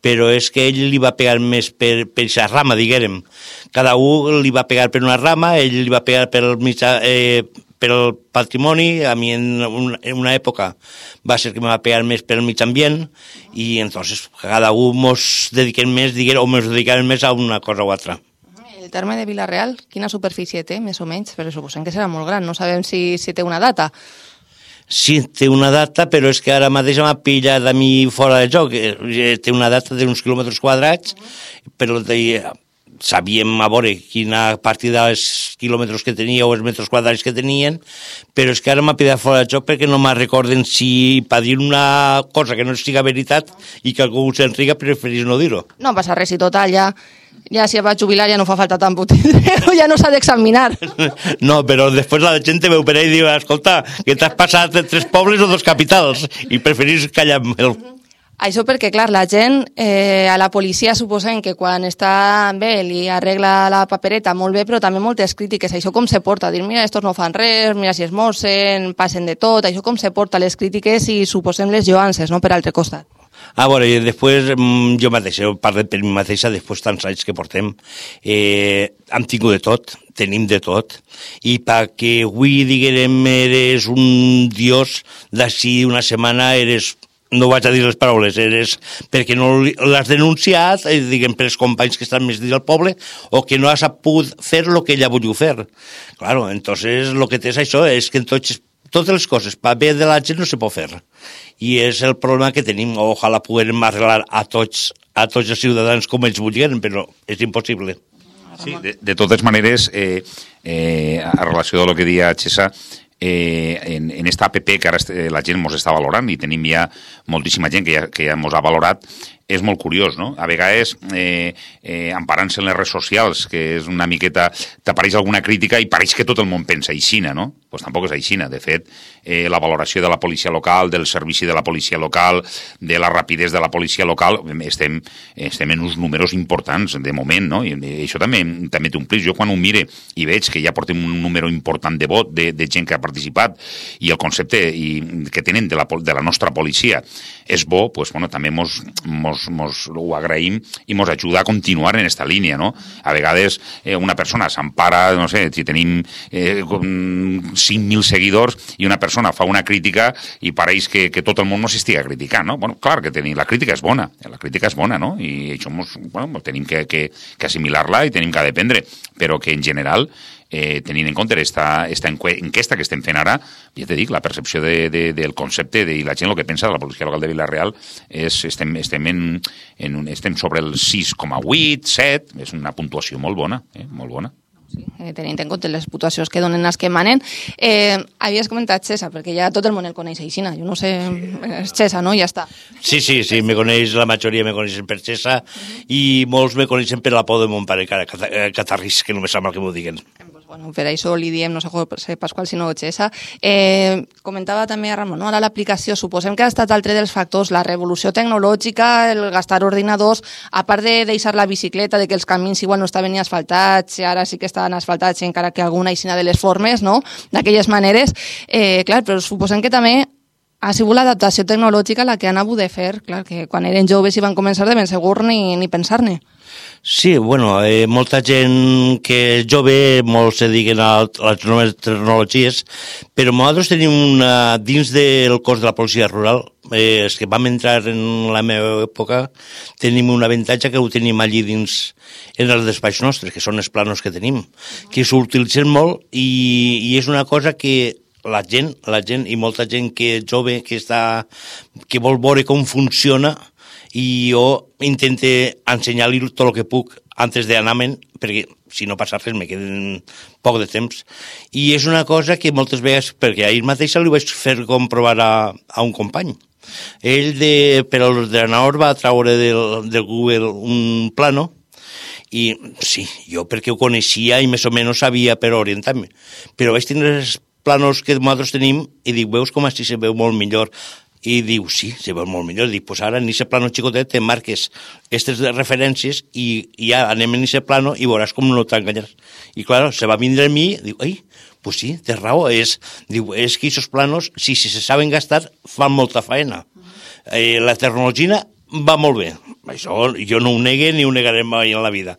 però és que ell li va pegar més per aquesta rama, diguérem. Cada un li va pegar per una rama, ell li va pegar per el patrimoni, a mi en una època va ser que me va pegar més per el mig ambient i entonces cada un mos dediquem més, o mos dedicarem més a una cosa o altra. El terme de Vila-real, quina superfície té, més o menys? Però suposem que serà molt gran, no sabem si té una data. Sí, té una data, però és que ara mateix m'ha pillat a mi fora de joc. Té una data d'uns quilòmetres quadrats, però sabíem a veure quina partida dels quilòmetres que tenia o els metres quadrats que tenien, però és que ara m'ha pillat fora de joc perquè no me recorden si per dir una cosa que no siga veritat i que algú s'enriga preferís no dir-ho. No passa res, i total, ja si va jubilar ja no fa falta tan potent, ja no s'ha d'examinar. No, però després la gent te veu per ahí i diu, escolta, que t'has passat 3 pobles o 2 capitals i preferís callar-me'l. Això perquè, clar, la gent, a la policia suposem que quan està bé li arregla la papereta molt bé, però també moltes crítiques. Això com se porta? Dir, mira, estos no fan res, mira si es mossen, passen de tot. Això com se porta les crítiques i suposem les lloances, no?, per altre costat. A veure, i després jo mateix, parlo per mi mateixa, després tants anys que portem, hem tingut de tot, tenim de tot, i perquè avui, diguem, eres un dios, d'ací una setmana eres... No vaig a dir les paraules, perquè no l'has denunciat, diguem, per els companys que estan més dins del poble, o que no has pogut fer el que ella volia fer. Claro, entonces lo que té és això, és que totes les coses, per bé de la gent no se pot fer. I és el problema que tenim, ojalà puguem arreglar a tots els ciutadans com ells vulguin, però és impossible. Sí, de totes maneres, a relació del que deia Xesa, en esta app que ara la gent mos està valorant i tenim ja moltíssima gent que ja mos ha valorat, és molt curiós, no? A vegades, emparant-se en les redes socials, que és una miqueta... t'apareix alguna crítica i pareix que tot el món pensa aixina, no? Doncs tampoc és aixina. De fet, la valoració de la policia local, del servici de la policia local, de la rapidesa de la policia local, estem en uns números importants, de moment, no? I això també té un plis. Jo quan ho mire i veig que ja portem un número important de vot, de gent que ha participat, i el concepte que tenen de la nostra policia és bo, doncs, bueno, també mos ho agraïm i mos ajuda a continuar en esta línia, no? A vegades una persona s'empara, no sé, si tenim 5.000 seguidors i una persona fa una crítica i pareix que tot el món no s'estiga criticant, no? Bueno, clar que la crítica és bona, no? I això tenim que assimilar-la i tenim que dependre, però que en general tenint en compte esta enquesta que estem fent ara, ja te dic, la percepció del concepte i la gent el que pensa de la policia local de Vila-real estem sobre el 6,8, 7, és una puntuació molt bona, molt bona. Sí, tenint en compte les puntuacions que donen els que manen. Havies comentat Xesa, perquè ja tot el món el coneix aixina. Jo no sé, és Xesa, no? Ja està. Sí, me coneix, la majoria me coneixen per Xesa i molts me coneixen per la por de mon pare, Catarrís, que no me sap mal que m'ho diguen. Bueno, per això li diem, no sé Pasqual, sinó Xesa. Comentava també a Ramon, no? Ara l'aplicació, suposem que ha estat altre dels factors, la revolució tecnològica, el gastar ordinadors, a part de deixar la bicicleta, de que els camins igual no estaven ni asfaltats, ara sí que estaven asfaltats, encara que alguna aixina de les formes, no?, d'aquelles maneres. Clar, però suposem que també ha sigut l'adaptació tecnològica la que han hagut de fer, clar, que quan eren joves i van començar de ben segur ni pensar-ne. Sí, bueno, molta gent que és jove, molts se diguen a les noves tecnologies, però nosaltres tenim dins del cos de la policia rural, els que vam entrar en la meva època, tenim un avantatge que ho tenim allí dins en els despatx nostres, que són els planos que tenim, que s'utilitzen molt i és una cosa que la gent i molta gent que és jove, que vol veure com funciona, i jo intento ensenyar-li tot el que puc antes d'anar-me'n, perquè si no passa res me queden poc de temps. I és una cosa que moltes vegades, perquè ahir mateix li vaig fer comprovar a un company. Ell per l'ordenador va traure del Google un plano, i sí, jo perquè ho coneixia i més o menys sabia per orientar-me, però vaig tenir els planos que nosaltres tenim i dic, veus com així se veu molt millor? I diu, sí, se veu molt millor. Dic, pues ara en aquest plano xicotet te marques aquestes referències i ja anem en aquest plano i veuràs com no t'enganyaràs. I clar, se va vindre a mi i diu, ai, pues sí, té raó. Diu, és que aquests planos, si se saben gastar, fan molta feina. La tecnologia va molt bé. Això jo no ho negue ni ho negaré mai en la vida.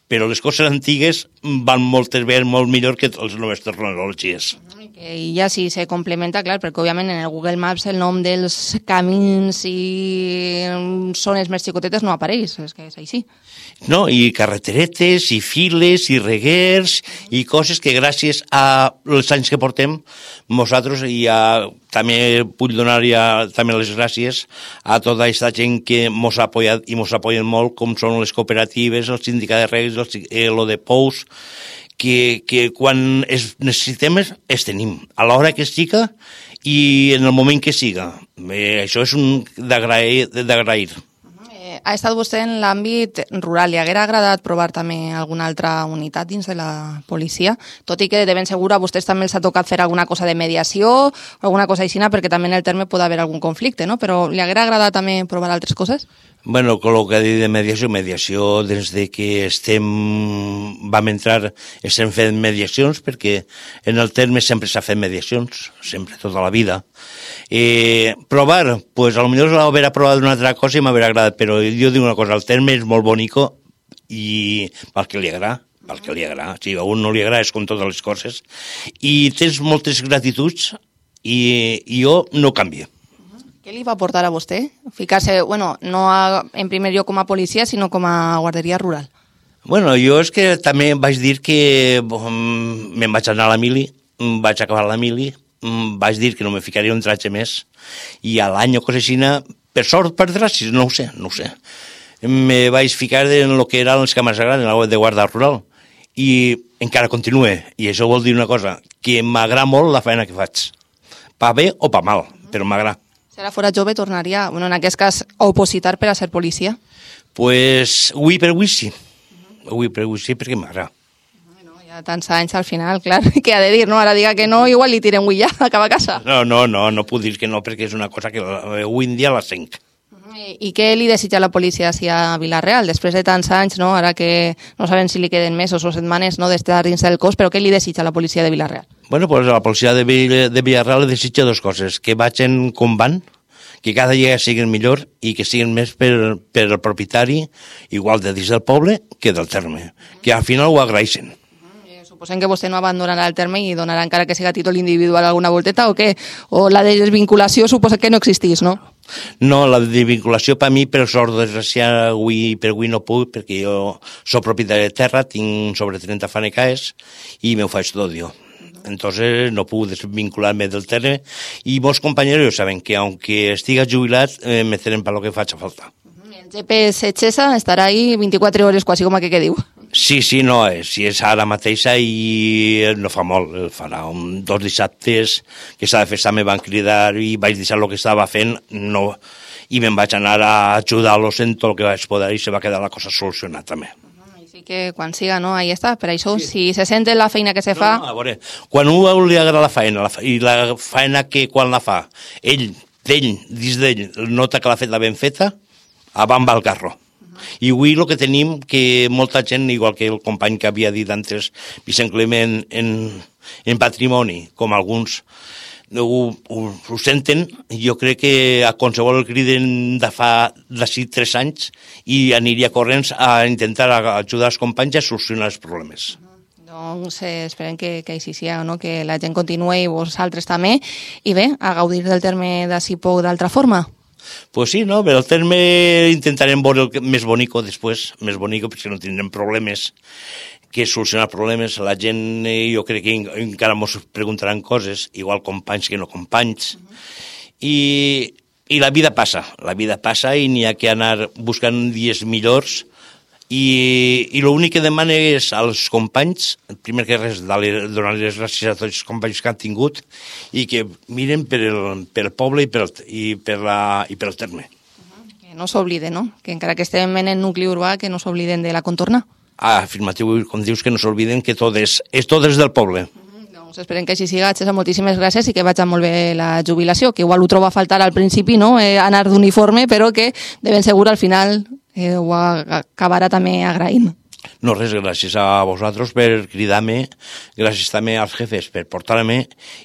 Però les coses antigues van moltes vegades molt millor que les noves tecnologies. I ja sí se complementa, clar, perquè òbviament en el Google Maps el nom dels camins i zones més xicotetes no apareix, és que és així. No, i carreteretes, i files, i reguers, i coses que gràcies als anys que portem, nosaltres, i també vull donar també les gràcies a tota aquesta gent que mos ha apoyat i mos apoyen molt, com són les cooperatives, el sindicat de reguers, el de Pous, que quan necessitem es tenim, a l'hora que siga i en el moment que siga. Això és d'agrair. Ha estat vostè en l'àmbit rural. Li haguera agradat provar també alguna altra unitat dins de la policia? Tot i que de ben segur a vostès també els ha tocat fer alguna cosa de mediació o alguna cosa així, perquè també en el terme pot haver algun conflicte, no? Però li haguera agradat també provar altres coses? Bueno, con lo que ha dit de mediació, des de que vam entrar, estem fent mediacions, perquè en el terme sempre s'ha fet mediacions, sempre, tota la vida. Provar, pues a lo millor haver provat una altra cosa i m'haver agradat, però jo dic una cosa, el terme és molt bonico i pel que li agrada, si a un no li agrada és com totes les coses, i tens moltes gratituds i jo no canvio. Què li va portar a vostè? Ficar-se, bueno, no en primer lloc com a policia, sinó com a guarderia rural. Bueno, jo és que també vaig dir que me'n vaig anar a la mili, vaig acabar la mili, vaig dir que no me ficaria un tratge més, i a l'any o cosa així, per sort, per gràcies, no ho sé. Me vaig ficar en el que eren les càmeres grans, en la de guarda rural, i encara continue, i això vol dir una cosa, que m'agrada molt la feina que faig, pa bé o pa mal, però m'agrada. Si ara fora jove, tornaria, bueno, en aquest cas, a opositar per a ser policia? Pues, avui per avui sí. Avui per avui sí, perquè m'agrada. Bueno, ja tants anys al final, clar, què ha de dir, no? Ara diga que no, igual li tirem avui ja, acaba a casa. No puc dir que no, perquè és una cosa que avui en dia la senc. I què li desitja la policia a Vila-real, després de tants anys, no? Ara que no sabem si li queden mesos o setmanes, no?, d'estar dins del cos, però què li desitja la policia de Vila-real? Bueno, pues a la policia de Vila-real li desitja dues coses, que vagin com van, que cada dia siguin millor i que siguin més per el propietari, igual de dins del poble que del terme, que al final ho agraeixen. Suposem que vostè no abandonarà el terme i donarà encara que siga a títol individual alguna volteta o què? O la desvinculació suposa que no existís, no? No, la desvinculació per mi, per sort desgraciada, avui no puc, perquè jo soc propietari de terra, tinc sobre 30 fanecaes i me ho faig tot jo. Entonces no puc desvincular-me del terme i molts companys saben que aunque estiga jubilat me tenen per lo que faig a falta. El GPS Xesa estarà ahí 24 hores, quasi com aquell que diu. Sí, no, si és ara mateixa i no fa molt, farà 2 dissabtes que s'ha de fer, me van cridar i vaig deixar el que estava fent i me'n vaig anar a ajudar-los en tot el que vaig poder i se va quedar la cosa solucionada també. Així que quan siga, no, ahí està, per això, si se sent la feina que se fa... No, a veure, quan a un li agrada la feina i la feina que quan la fa, dins d'ell, nota que l'ha fet la ben feta, avant va el carro. I avui el que tenim, que molta gent, igual que el company que havia dit antes, Vicent Clement, en patrimoni, com alguns, ho senten. Jo crec que a qualsevol el criden de fa d'ací 3 anys i aniria corrents a intentar ajudar els companys a solucionar els problemes. Doncs esperem que així sigui, no? Que la gent continuï i vosaltres també, i bé, a gaudir del terme d'ací poc d'altra forma. Pues sí, no? Però el terme intentarem veure el més bonico després, més bonico perquè no tindrem problemes, que solucionar problemes. La gent, jo crec que encara ens preguntaran coses, igual companys que no companys, i la vida passa i n'hi ha que anar buscant dies millors. I l'únic que demano és als companys, primer que res, donar les gràcies a tots els companys que han tingut i que miren pel poble i pel terme. Que no s'obliden, no? Que encara que estem en el nucli urbà, que no s'obliden de la contorna. Afirmatiu, com dius, que no s'obliden que tot és del poble. Doncs esperem que així siga. Xesa, moltíssimes gràcies i que vagi molt bé la jubilació, que igual ho troba a faltar al principi, no? Anar d'uniforme, però que de ben segur al final ho acabarà també agraint. No, res, gràcies a vosaltres per cridar-me, gràcies també als jefes per portar-me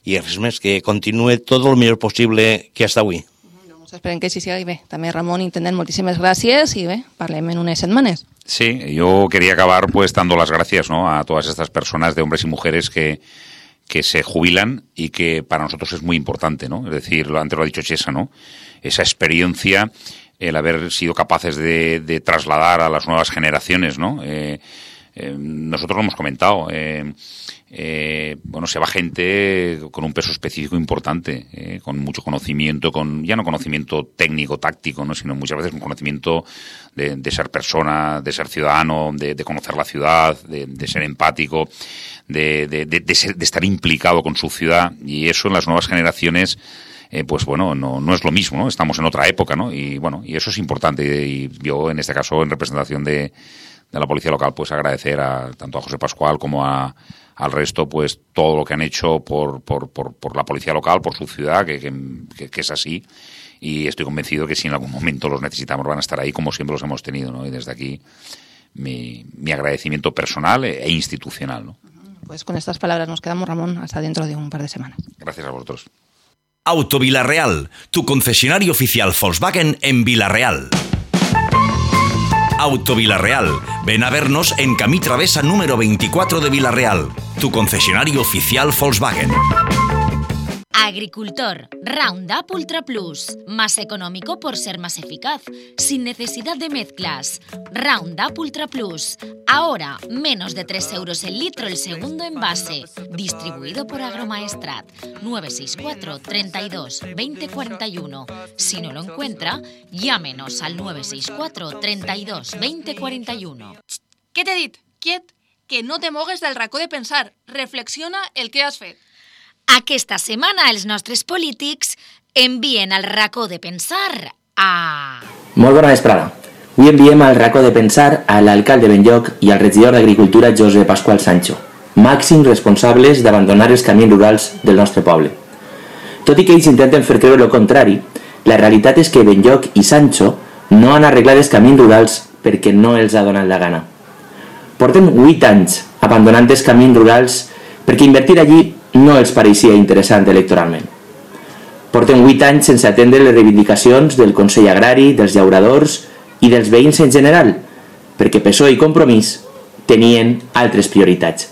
i res més, que continuï tot el millor possible que hasta avui. Doncs esperem que així siga i bé. També, Ramon, intendent, moltíssimes gràcies i bé, parlem en unes setmanes. Sí, yo quería acabar pues dando las gracias, ¿no?, a todas estas personas de hombres y mujeres que se jubilan y que para nosotros es muy importante, ¿no? Es decir, antes lo ha dicho Chesa, ¿no? Esa experiencia, el haber sido capaces de trasladar a las nuevas generaciones, ¿no? Nosotros lo hemos comentado, bueno, se va gente con un peso específico importante, con mucho conocimiento, ya no conocimiento técnico, táctico, ¿no?, sino muchas veces un conocimiento de ser persona, de ser ciudadano, de conocer la ciudad, de ser empático, de estar implicado con su ciudad, y eso en las nuevas generaciones pues bueno, no es lo mismo, ¿no? Estamos en otra época, ¿no? Y bueno, y eso es importante, y yo en este caso, en representación de la policía local, pues agradecer tanto a José Pascual como al resto, pues todo lo que han hecho por la policía local, por su ciudad, que es así, y estoy convencido que si en algún momento los necesitamos van a estar ahí como siempre los hemos tenido, ¿no? Y desde aquí mi agradecimiento personal e institucional, ¿no? Pues con estas palabras nos quedamos, Ramón, hasta dentro de un par de semanas. Gracias a vosotros. Auto Vilarreal, tu concesionario oficial Volkswagen en Vila-real. Auto Vilarreal, ven a vernos en Camí Travesa número 24 de Vila-real, tu concesionario oficial Volkswagen. Agricultor, Roundup Ultra Plus, más económico por ser más eficaz, sin necesidad de mezclas. Roundup Ultra Plus, ahora menos de 3 euros el litro el segundo envase, distribuido por Agromaestrat, 964 32 20 41. Si no lo encuentra, llámenos al 964 32 20 41. Què t'he dit? Quiet, que no te mogues del racó de pensar. Reflexiona el que has fet. Aquesta setmana els nostres polítics envien al racó de pensar a... Molt bona vesprada. Avui enviem al racó de pensar a l'alcalde Benlloc i al regidor d'Agricultura José Pascual Sancho, màxims responsables d'abandonar els camins rurals del nostre poble. Tot i que ells intenten fer creure el contrari, la realitat és que Benlloc i Sancho no han arreglat els camins rurals perquè no els ha donat la gana. Porten 8 anys abandonant els camins rurals perquè invertir allí no els pareixia interessant electoralment. Porten 8 anys sense atendre les reivindicacions del Consell Agrari, dels llauradors i dels veïns en general, perquè PSOE i Compromís tenien altres prioritats.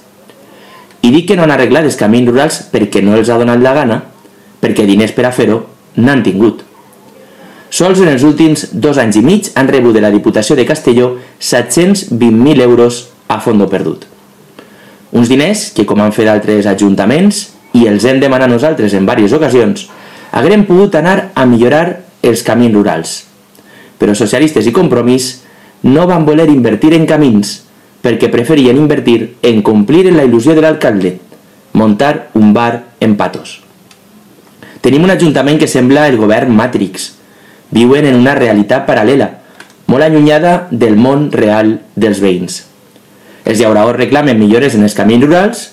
I dic que no han arreglat els camins rurals perquè no els ha donat la gana, perquè diners per a fer-ho n'han tingut. Sols en els últims 2 anys i mig han rebut de la Diputació de Castelló 720.000 euros a fondo perdut. Uns diners que, com han fet altres ajuntaments, i els hem demanat nosaltres en diverses ocasions, haguem pogut anar a millorar els camins rurals. Però socialistes i Compromís no van voler invertir en camins perquè preferien invertir en complir en la il·lusió de l'alcalde, muntar un bar en Patos. Tenim un ajuntament que sembla el govern Matrix. Viuen en una realitat paral·lela, molt allunyada del món real dels veïns. Els llauradors reclamen millores en els camins rurals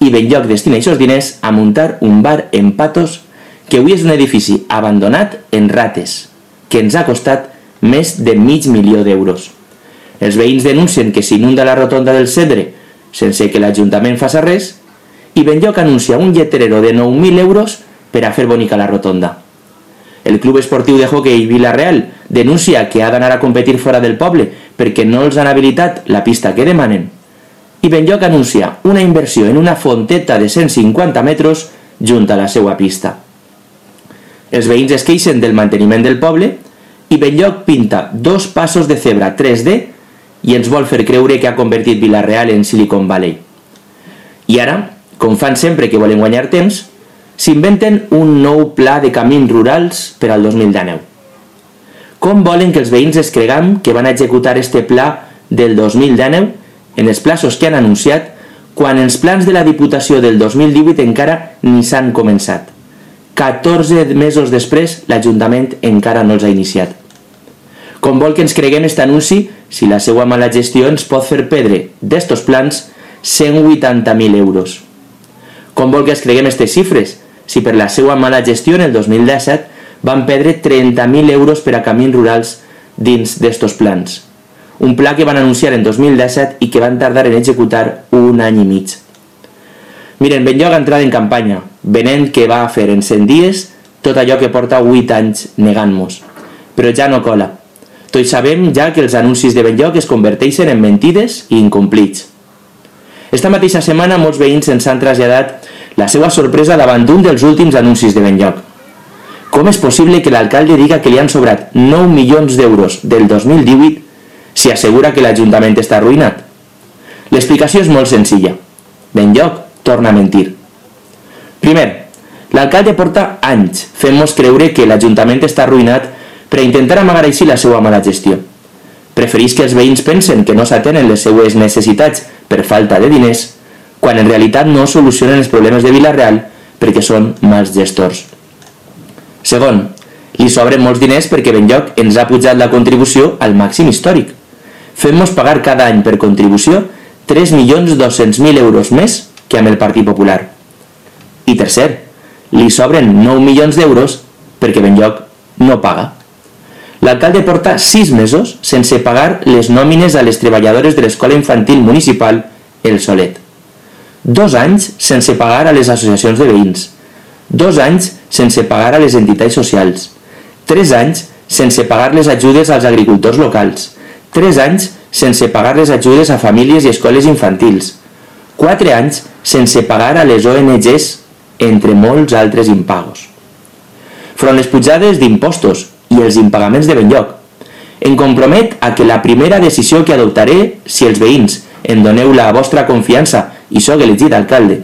i Benlloc destina aquests diners a muntar un bar en Patos que avui és un edifici abandonat en rates, que ens ha costat més de $500.000 d'euros. Els veïns denuncien que s'inunda la rotonda del Cedre sense que l'Ajuntament faci res i Benlloc anuncia un lleterero de 9.000 euros per a fer bonica la rotonda. El Club Esportiu de Hockey Vila-real denuncia que ha d'anar a competir fora del poble perquè no els han habilitat la pista que demanen. I Benlloc anuncia una inversió en una fonteta de 150 metres junt a la seva pista. Els veïns es queixen del manteniment del poble i Benlloc pinta 2 passos de zebra 3D i ens vol fer creure que ha convertit Vila-real en Silicon Valley. I ara, com fan sempre que volen guanyar temps, s'inventen un nou pla de camins rurals per al 2019. Com volen que els veïns es cregam que van executar este pla del 2019 en els plaços que han anunciat quan els plans de la Diputació del 2018 encara ni s'han començat? 14 mesos després, l'Ajuntament encara no els ha iniciat. Com vol que ens creguem aquest anunci si la seva mala gestió ens pot fer perdre d'estos plans 180.000 euros? Com vol que ens creguem aquestes xifres si per la seva mala gestió en el 2017 van perdre 30.000 euros per a camins rurals dins d'estos plans? Un pla que van anunciar en 2017 i que van tardar en executar 1 any i mig. Miren, Benlloc ha entrat en campanya, venent que va fer en 100 dies tot allò que porta 8 anys negant-nos. Però ja no cola. Tots sabem ja que els anuncis de Benlloc es converteixen en mentides i incomplits. Esta mateixa setmana molts veïns ens han traslladat la seva sorpresa davant d'un dels últims anuncis de Benlloc. Com és possible que l'alcalde diga que li han sobrat 9 milions d'euros del 2018 si assegura que l'Ajuntament està arruïnat? L'explicació és molt senzilla. Benlloc torna a mentir. Primer, l'alcalde porta anys fent-nos creure que l'Ajuntament està arruïnat per a intentar amagar així la seva mala gestió. Prefereix que els veïns pensen que no s'atenen les seues necessitats per falta de diners, quan en realitat no solucionen els problemes de Vila-real perquè són mals gestors. Segon, li sobren molts diners perquè Benlloc ens ha pujat la contribució al màxim històric, fent-nos pagar cada any per contribució 3.200.000 euros més que amb el Partit Popular. I tercer, li sobren 9 milions d'euros perquè Benlloc no paga. L'alcalde porta 6 mesos sense pagar les nòmines a les treballadores de l'escola infantil municipal El Solet. 2 anys sense pagar a les associacions de veïns. 2 anys sense pagar a les entitats socials. 3 anys sense pagar les ajudes als agricultors locals. 3 anys sense pagar les ajudes a famílies i escoles infantils. 4 anys sense pagar a les ONGs, entre molts altres impagos. Front les pujades d'impostos i els impagaments de Benlloc, em compromet a que la primera decisió que adoptaré, si els veïns em doneu la vostra confiança i sóc elegit alcalde,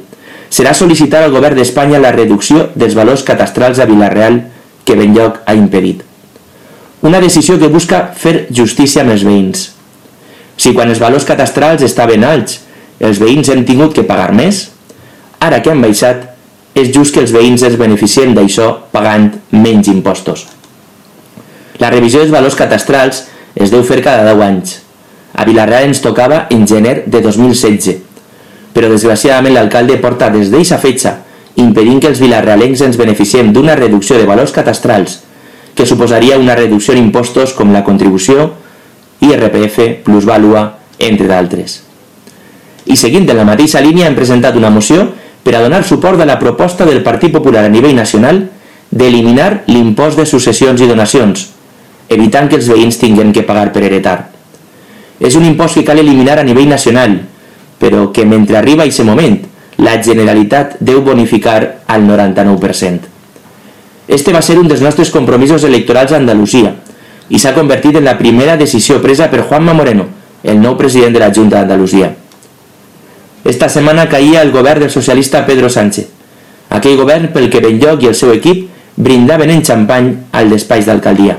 serà sol·licitar al govern d'Espanya la reducció dels valors catastrals a Vila-real que Benlloc ha impedit. Una decisió que busca fer justícia amb els veïns. Si quan els valors catastrals estaven alts els veïns hem tingut que pagar més, ara que han baixat, és just que els veïns es beneficien d'això pagant menys impostos. La revisió dels valors catastrals es deu fer cada 10 anys. A Vila-real ens tocava en gener de 2016, però desgraciadament l'alcalde porta des d'eixa fetge impedint que els vilarealencs ens beneficiem d'una reducció de valors catastrals que suposaria una reducció en impostos com la contribució, IRPF, plusvàlua, entre d'altres. I seguint en la mateixa línia hem presentat una moció per a donar suport a la proposta del Partit Popular a nivell nacional d'eliminar l'impost de successions i donacions, evitant que els veïns tinguin que pagar per heretar. És un impost que cal eliminar a nivell nacional, però que mentre arriba aquest moment, la Generalitat deu bonificar al 99%. Este va ser un dels nostres compromisos electorals a Andalusia i s'ha convertit en la primera decisió presa per Juanma Moreno, el nou president de la Junta d'Andalusia. Esta setmana caïa el govern del socialista Pedro Sánchez, aquell govern pel que Benlloc i el seu equip brindaven en xampany al despatx d'alcaldia.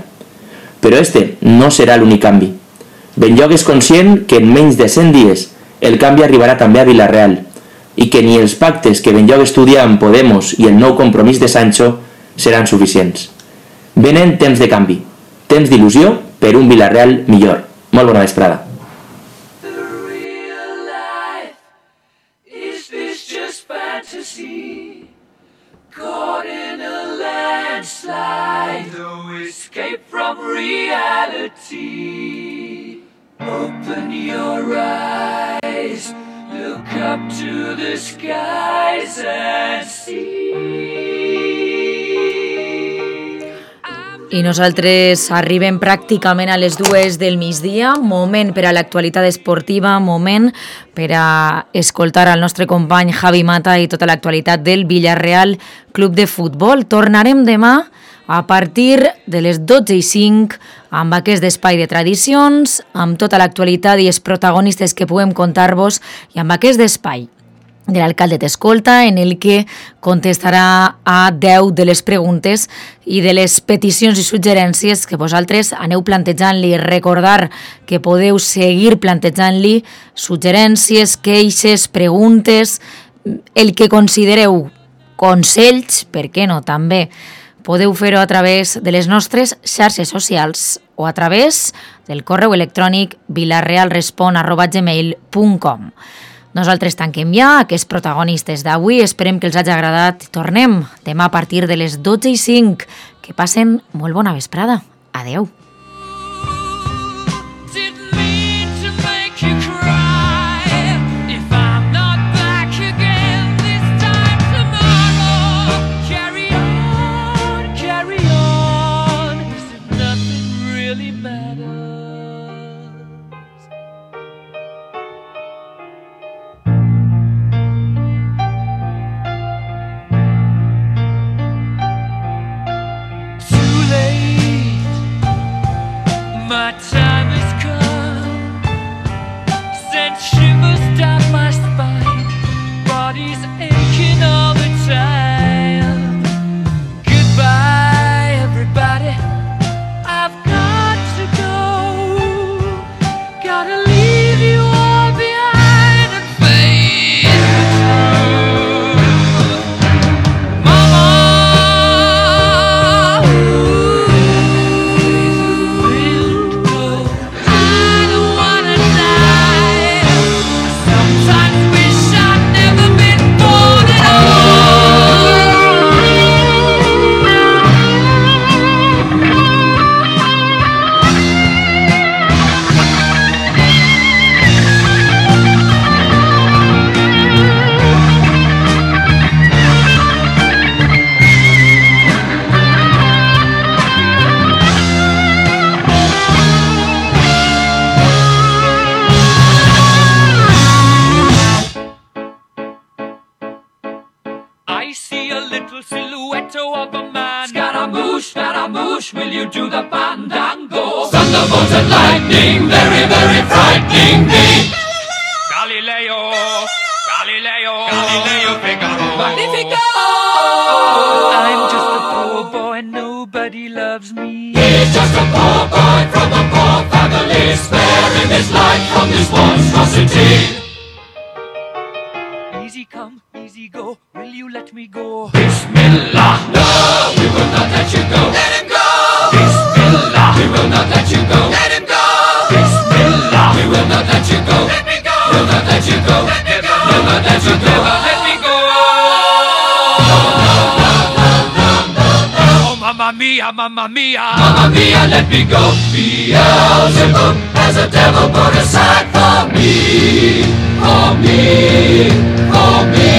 Però este no serà l'únic canvi. Benlloc és conscient que en menys de 100 dies el canvi arribarà també a Vila-real i que ni els pactes que Benlloc estudia amb Podemos i el nou compromís de Sancho seran suficients. Venen temps de canvi, temps d'il·lusió per un Vila-real millor. Molt bona vesprada. Caught in a landslide, no escape from reality. Open your eyes, look up to the skies and see. I nosaltres arribem pràcticament a les 2 del migdia, moment per a l'actualitat esportiva, moment per a escoltar al nostre company Javi Mata i tota l'actualitat del Villarreal Club de Futbol. Tornarem demà a partir de les 12:05 amb aquest espai de tradicions, amb tota l'actualitat i els protagonistes que puguem contar-vos i amb aquest espai de l'alcalde t'escolta, en el que contestarà a 10 de les preguntes i de les peticions i suggerències que vosaltres aneu plantejant-li. Recordar que podeu seguir plantejant-li suggerències, queixes, preguntes, el que considereu, consells, per què no, també. Podeu fer-ho a través de les nostres xarxes socials o a través del correu electrònic vilarrealrespon@gmail.com. Nosaltres tanquem ja aquests protagonistes d'avui. Esperem que els hagi agradat. Tornem demà a partir de les 12:05. Que passen molt bona vesprada. Adeu. My time has come, sent shivers down my spine, body's aching all the time. Goodbye everybody, I've got to go, gotta leave you all behind and face the truth. Mama, I see a little silhouette of a man. Scaramouche, Scaramouche, will you do the fandango? Thunderbolt and lightning, very, very frightening me. Galileo, Galileo, Galileo Figaro. Magnifico! I'm just a poor boy, nobody loves me. He's just a poor boy from a poor family, sparing his life from this monstrosity. Easy come, easy go, will you let me go? Bismillah, no, we will not let you go. Let him go! Bismillah, we will not let you go. Let him go! Bismillah, we will not let you go. Let me go! We'll not let you go. Let me go! We'll not let you go. Let me go! No, no, no, no, no, no, no. Oh, mamma mia, mamma mia. Mamma mia, let me go. Beelzebub has a devil put aside for me. For me, for me.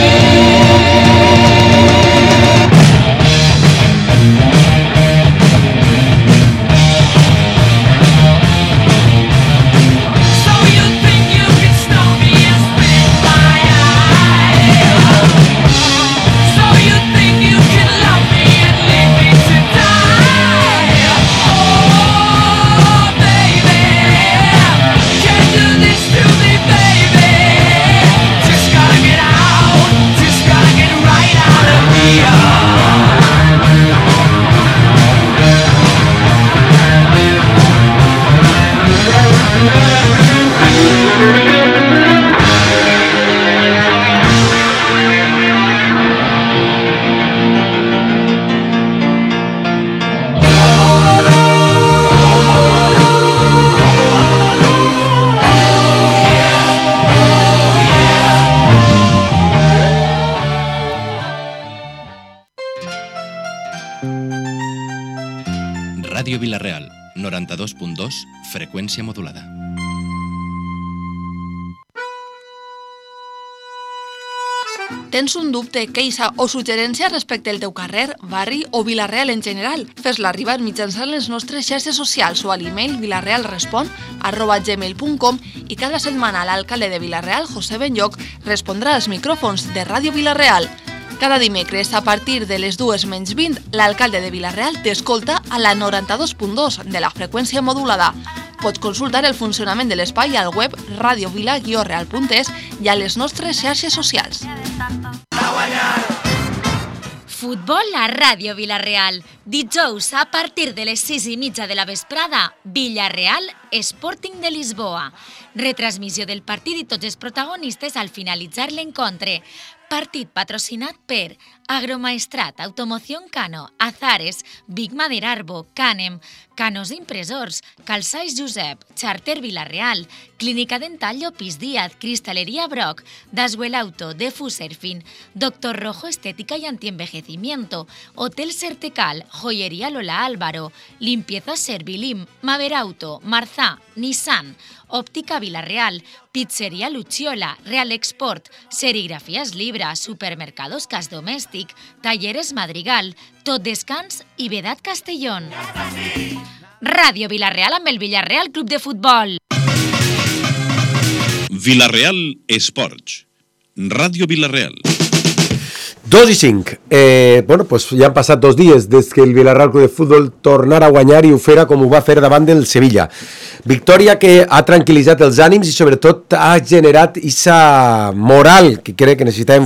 Ràdio Vila-real, 92.2, freqüència modulada. Tens un dubte, queixa o suggerència respecte al teu carrer, barri o Vila-real en general? Fes-la arribar mitjançant les nostres xarxes socials o a l'email vilarealrespon@gmail.com i cada setmana l'alcalde de Vila-real, José Benlloch, respondrà als micròfons de Ràdio Vila-real. Cada dimecres, a partir de les 2:20, l'alcalde de Vila-real t'escolta a la 92.2 de la freqüència modulada. Pots consultar el funcionament de l'espai al web radiovila-real.es i a les nostres xarxes socials. Futbol a Ràdio Vila-real. Dijous, a partir de les 6:30 de la vesprada, Villarreal Sporting de Lisboa. Retransmissió del partit i tots els protagonistes al finalitzar l'encontre. Partit patrocinat per Agromaestrat, Automoción Cano, Azares, Big Madera Arbo, Canem, Canos Impressors, Calçais Josep, Charter Vila-real, Clínica Dental Llopis Díaz, Cristalería Brock, Daswell Auto, Defuserfin, Doctor Rojo Estética y Antienvejecimiento, Hotel Sertecal, Joyería Lola Álvaro, Limpieza Servilim, Maver Auto, Marzá, Nissan, Óptica Vila-real, Pizzería Luciola, Real Export, Serigrafías Libra, Supermercados Cas Domèstic, Talleres Madrigal, Tot Descans i Vedat Castellón. Ràdio Vila-real amb el Villarreal Club de Futbol. Vila-real Esports. Ràdio Vila-real. 2:05. Bueno, pues ja han passat 2 dies des que el Villarreal Club de Futbol tornara a guanyar i ho fera com ho va fer davant del Sevilla. Victòria que ha tranquil·litzat els ànims i sobretot ha generat aquesta moral que crec que necessitem